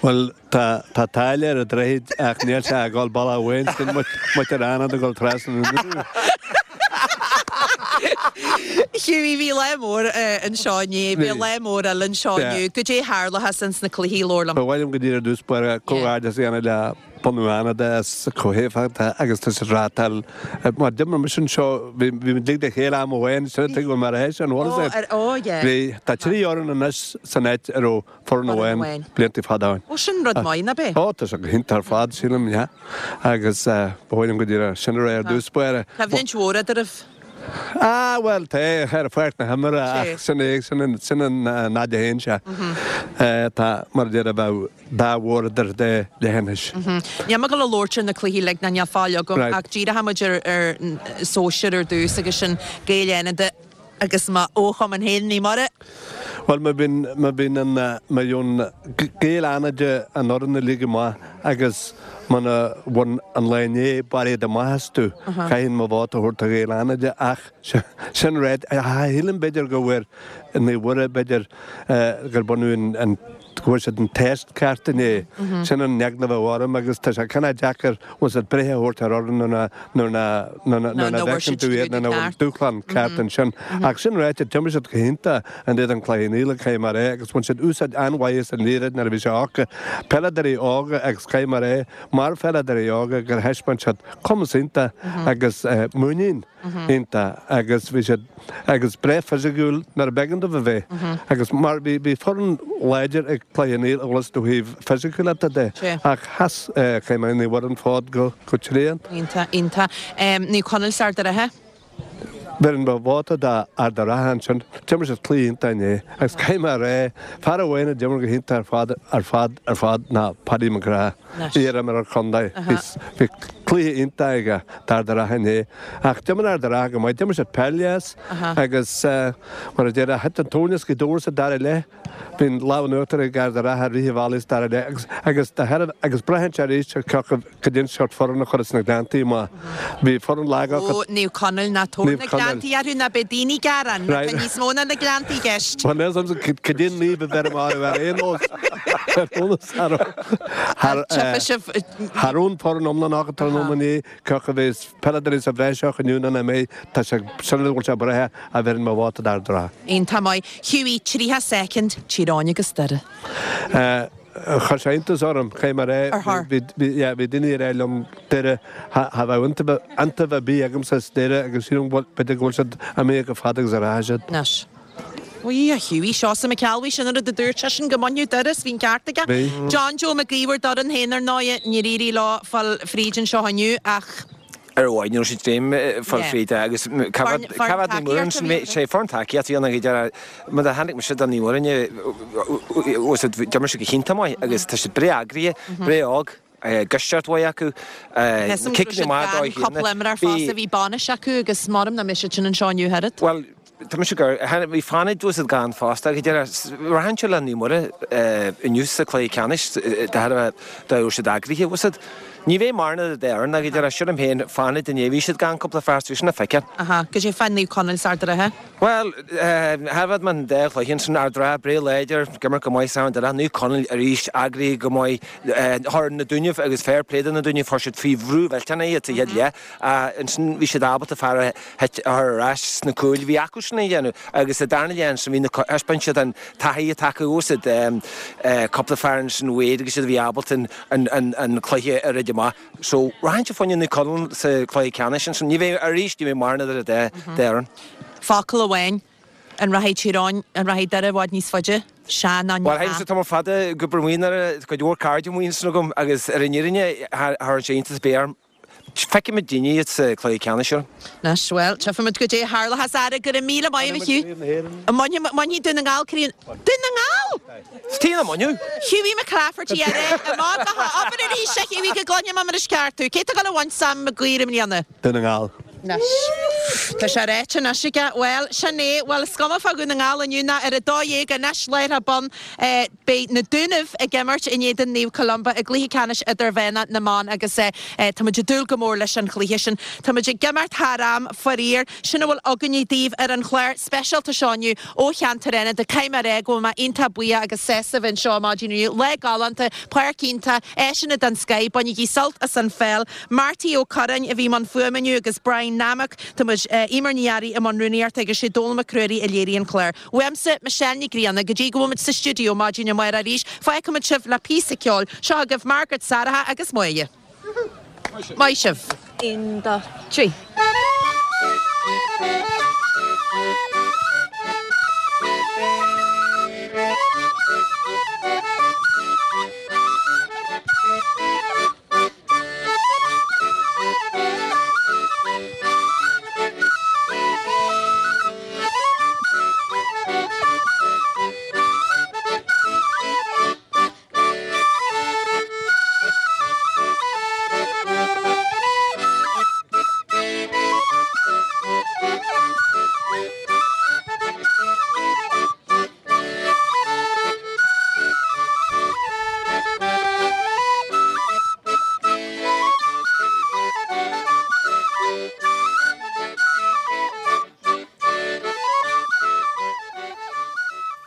Bhuel, tá, tá táille ar an droichead ach níl sé ag dul bealach amháin, sin muintir Fhánada ag dul trasna inniu. Hughie, bhí lá mór anseo inné, bhí lá mór eile anseo inniu. Goidé a tharlachas ins na cluichí, labhair liom. Ba mhaith liom go díreach ar dtús báire comhghairdeas a dhéanamh le bunú Fhánada as chomh héifeachtach agus tá siad reáchtáil. Mar d'imir mise anseo, bhí muid uilig le chéile am amháin, sin an tuige go bhfuil mé ar a théis an bhfuil a fhios agat. Bhí, tá 3 fhoireann anois san áit a raibh foireann amháin blianta fada ó shin. Ó, sin rud maith, nach ea? Ó, tá sé go hiontach ar fad, sílim, yeah. Agus ba mhaith liom go díreach sin a rá ar dtús báire. Coimhlint mhór eadraibh. Ah, bhuel, tá, ar pháirc na himeartha ach sin é, sin an, sin an fhad a théann sé. Tá, mar a déarfá, bheadh dá mhór idir dá leithinis. Níl mé ag dul a labhairt ar na cluichí uilig ná níl fáil agam ach díreoidh muid ar ar sóisir ar dtús agus sin Gaeil Fhánada agus mo fhochumann féin, Naomh Muire. Bhuel, má bhíonn, má bhíonn an, má gheobhann Gaeil Fhánada an fhoireann uilig amach agus muna bhain an lá inné barraíocht amach astu, caithfinn mo vóta a thabhairt do Ghaeil Fhánada ach sin ráite, shílim b'fhéidir go bhfuair Naomh Mhuire b'fhéidir gur baineadh an, go bhfuair siad an test ceart inné. Sin an eagla a bheadh orm agus tá sé cineál deacair bhfuil siad breith a thabhairt ar fhoireann nuair nach bhfeiceann tú iad nuair nach bhfuil dúshlán ceart ansin. Ach sin ráite, d'imir siad go hiontach in éadan Chloich Cheann Fhaola, caithfidh mé a rá, agus bhain siad úsáid an-mhaith as an liathróid nuair a bhí sé acu. Peileadóirí óga agus caithfidh mé a rá, mar pheileadóirí óga gur thaispeáin siad cumas iontach agus muinín. iontach agus bhí siad agus breá fisiciúil nuair a b'éigean dóibh a bheith agus mar bhí bhí foireann láidir ag Cloich Cheann Fhaola ó thaobh fisiciúlachta de ach sheas caithfidh mé Naomh Mhuire an fód go go tréan. Iontach, iontach. Naomh Conaill 's Ard a' Rátha? Bheireann mo vóta d'Ard a' Rátha ansin. D'imir siad cluiche iontach inné agus caithfidh mé a rá, fear amháin a d'imir go hiontach ar fad ar fad ar fad ná Paddy McGrath. Iar-imreoir contae. Bhí cluiche iontach aige d'Ard a' Rátha inné. Ach d'imir Ard a' Rátha go maith. D'imir siad peil dheas agus mar a déarfá, thit an tóin as Gaoth Dobhair sa dara leath. Bhí an lámh in uachtar ag Ard a' Rátha i rith an bhealaigh sa dara leath agus agus braitheann sé arís ar cé acu cad é an seort foireann a chuireas na Gleanntaí amach. Bhí foireann lag acu. Ó, Naomh Conaill, ná tabhair na Gleanntaí orthu ná beidh daoine ag gearán. Tá níos mó ná na Gleanntaí i gceist. Bhuel, níl 's a'msa cad é an naomh a bheirim orthu ar aon nós. Ar aon nós, cha raibh an foireann iomlán acu tráthnóna inné, cé acu a bheas peileadóirí sa bhreis acu inniu nó nach mbeidh, tá sé, sin rud a bhfuil sé breithe a bheireann mo vóta d'Ard a' Rátha. Iontach maith. Hughie, 30 soicind, Tír Eoghain agus Doire. Chuir sé iontas orm, caithfidh mé a rá. Bhí, yeah, bhí daoine ag rá liom Doire, cha bheadh iontaoibh ar bith agamsa as Doire agus sílim go bhfuil, b'fhéidir go bhfuil siad imithe chomh fada agus a rachaidh siad. Anois. Uí, a Hughie, Seosamh Mac Ceallbhuí, sin an rud a dúirt seisean go mbainfeadh Doire is bhí an ceart aige. Bhí. John Joe Mac Íomhair d'fhoireann féin ar ndóighe, níor éirigh leo fáil fríd anseo inniu ach. Ar mhaith, ní raibh siad dréim fáil fríd agus cá bhfad Naomh Muireann sin, sé foireann tacaíocht a bhí ann ag deireadh, mar a chonaic mise do Naomh Muireann, d'imir siad go hiontach maith agus tá siad breá eagraithe, breá óg, gisteacht mhaith acu, ciceanna maith dóibh féin. Cúpla imreoir fosta, bhí bainis acu agus measaim nach mbeidh siad sin anseo inniu oiread. Bhuel, Tá mise gur, bhí Fánaid bhfuil siad gann fosta ag deireadh. Rachainnse le Naomh Muire inniu sa cluiche ceannais de thairbhe dá raibh siad eagraithe, bhfuil siad. Ní bheidh mórán idir dá fhoireann ag deireadh, sílim féin, Fánaid inné, bhí siad gann cúpla fear so bhí sin le feiceáil. Aha, goidé fá Naomh Conaill 's Ard a' Rátha? Bhuel, thairfead mé an dá chluiche ansin, Ard a' Rátha breá láidir, ag imirt go maith san deireadh, Naomh Conaill arís eagraithe go maith, chuir na Dúnaibh agus fair play do na Dúnaibh, chuir siad faoi bhrú mhillteanach iad sa chéad leath. Ansin bhí siad ábalta fear a chur ar ais sna cúil. Bhí acu sin a dhéanamh agus sa darna leath ansin bhí na, thaispeáin siad an taithí atá acu bhfuil siad, cúpla fear ansin Wade agus iad a bhí ábalta an cluiche a throid amach. So rachainnse fá choinne Naomh Conaill sa chluiche ceannais ansin. Ní bheidh, arís, ní bheidh mórán idir an dá fhoireann. Focal amháin, an rachaidh Tír Eoghain, an rachaidh Doire i bhfad níos faide? Sea nó Bhuel, théimse tamall fada ag obair amuigh i nDoire, cuid mhór cairde amuigh ansin agam agus ar an fhírinne, cha chuireann sé iontas ar bith orm. Feicfimid daoine iad sa chluiche ceannais seo. Anois, bhuel, tchífimid goidé a tharlóchas. Ara, go raibh míle maith agat, a Hugh. Mbainfidh Dún na nGall craobh. Dún na nGall! Is tí na mbainfidh. Hughie McClafferty, ara, amach go h-obair arís, a Hughie, go gcluinfidh mé mar is ceart thú. Cé atá ag dul a bhaint Sam Mac Guidhir i mbliana? Dún na nGall. Anois, tá sé ráite anois aige. Bhuel, sin é. Bhuel, is cuma fá Dhún na nGall inniu ná ar a 12 anois, láithreach bonn. Beidh na Dúnaibh ag imirt in éadan Naomh Columba i gcluiche ceannais idirmheánach na mban agus táimid ag dúil go mór leis an chluiche sin. Táimid ag imeacht thar am, faraor. Sin a bhfuil againne daoibh ar an chlár speisialta seo inniu ó cheantar Fhánada. Caithfidh mé a rá go bhfuil mé iontach buíoch agus sásta bheith anseo maidin inniu. Lá galánta, páirc iontach, áiseanna den scoith. Bainigí sult as an pheil. Marty Ó Curráin a bhí i mbun fuaime inniu agus Brian Nammock. Tá muid, Eimear Ní Fhearraigh i mbun rúnaíochta agus sé Dónal Mac Ruairí a léirigh an clár. Uaimse, Michelle Ní Ghrianna, go dtí go bhfuil muid sa stiúideo maidin amárach arís, fágfaimid sibh le píosa ceoil. Seo agaibh Margaret Sarah agus Máire. Maith sibh. 1, 2, 3.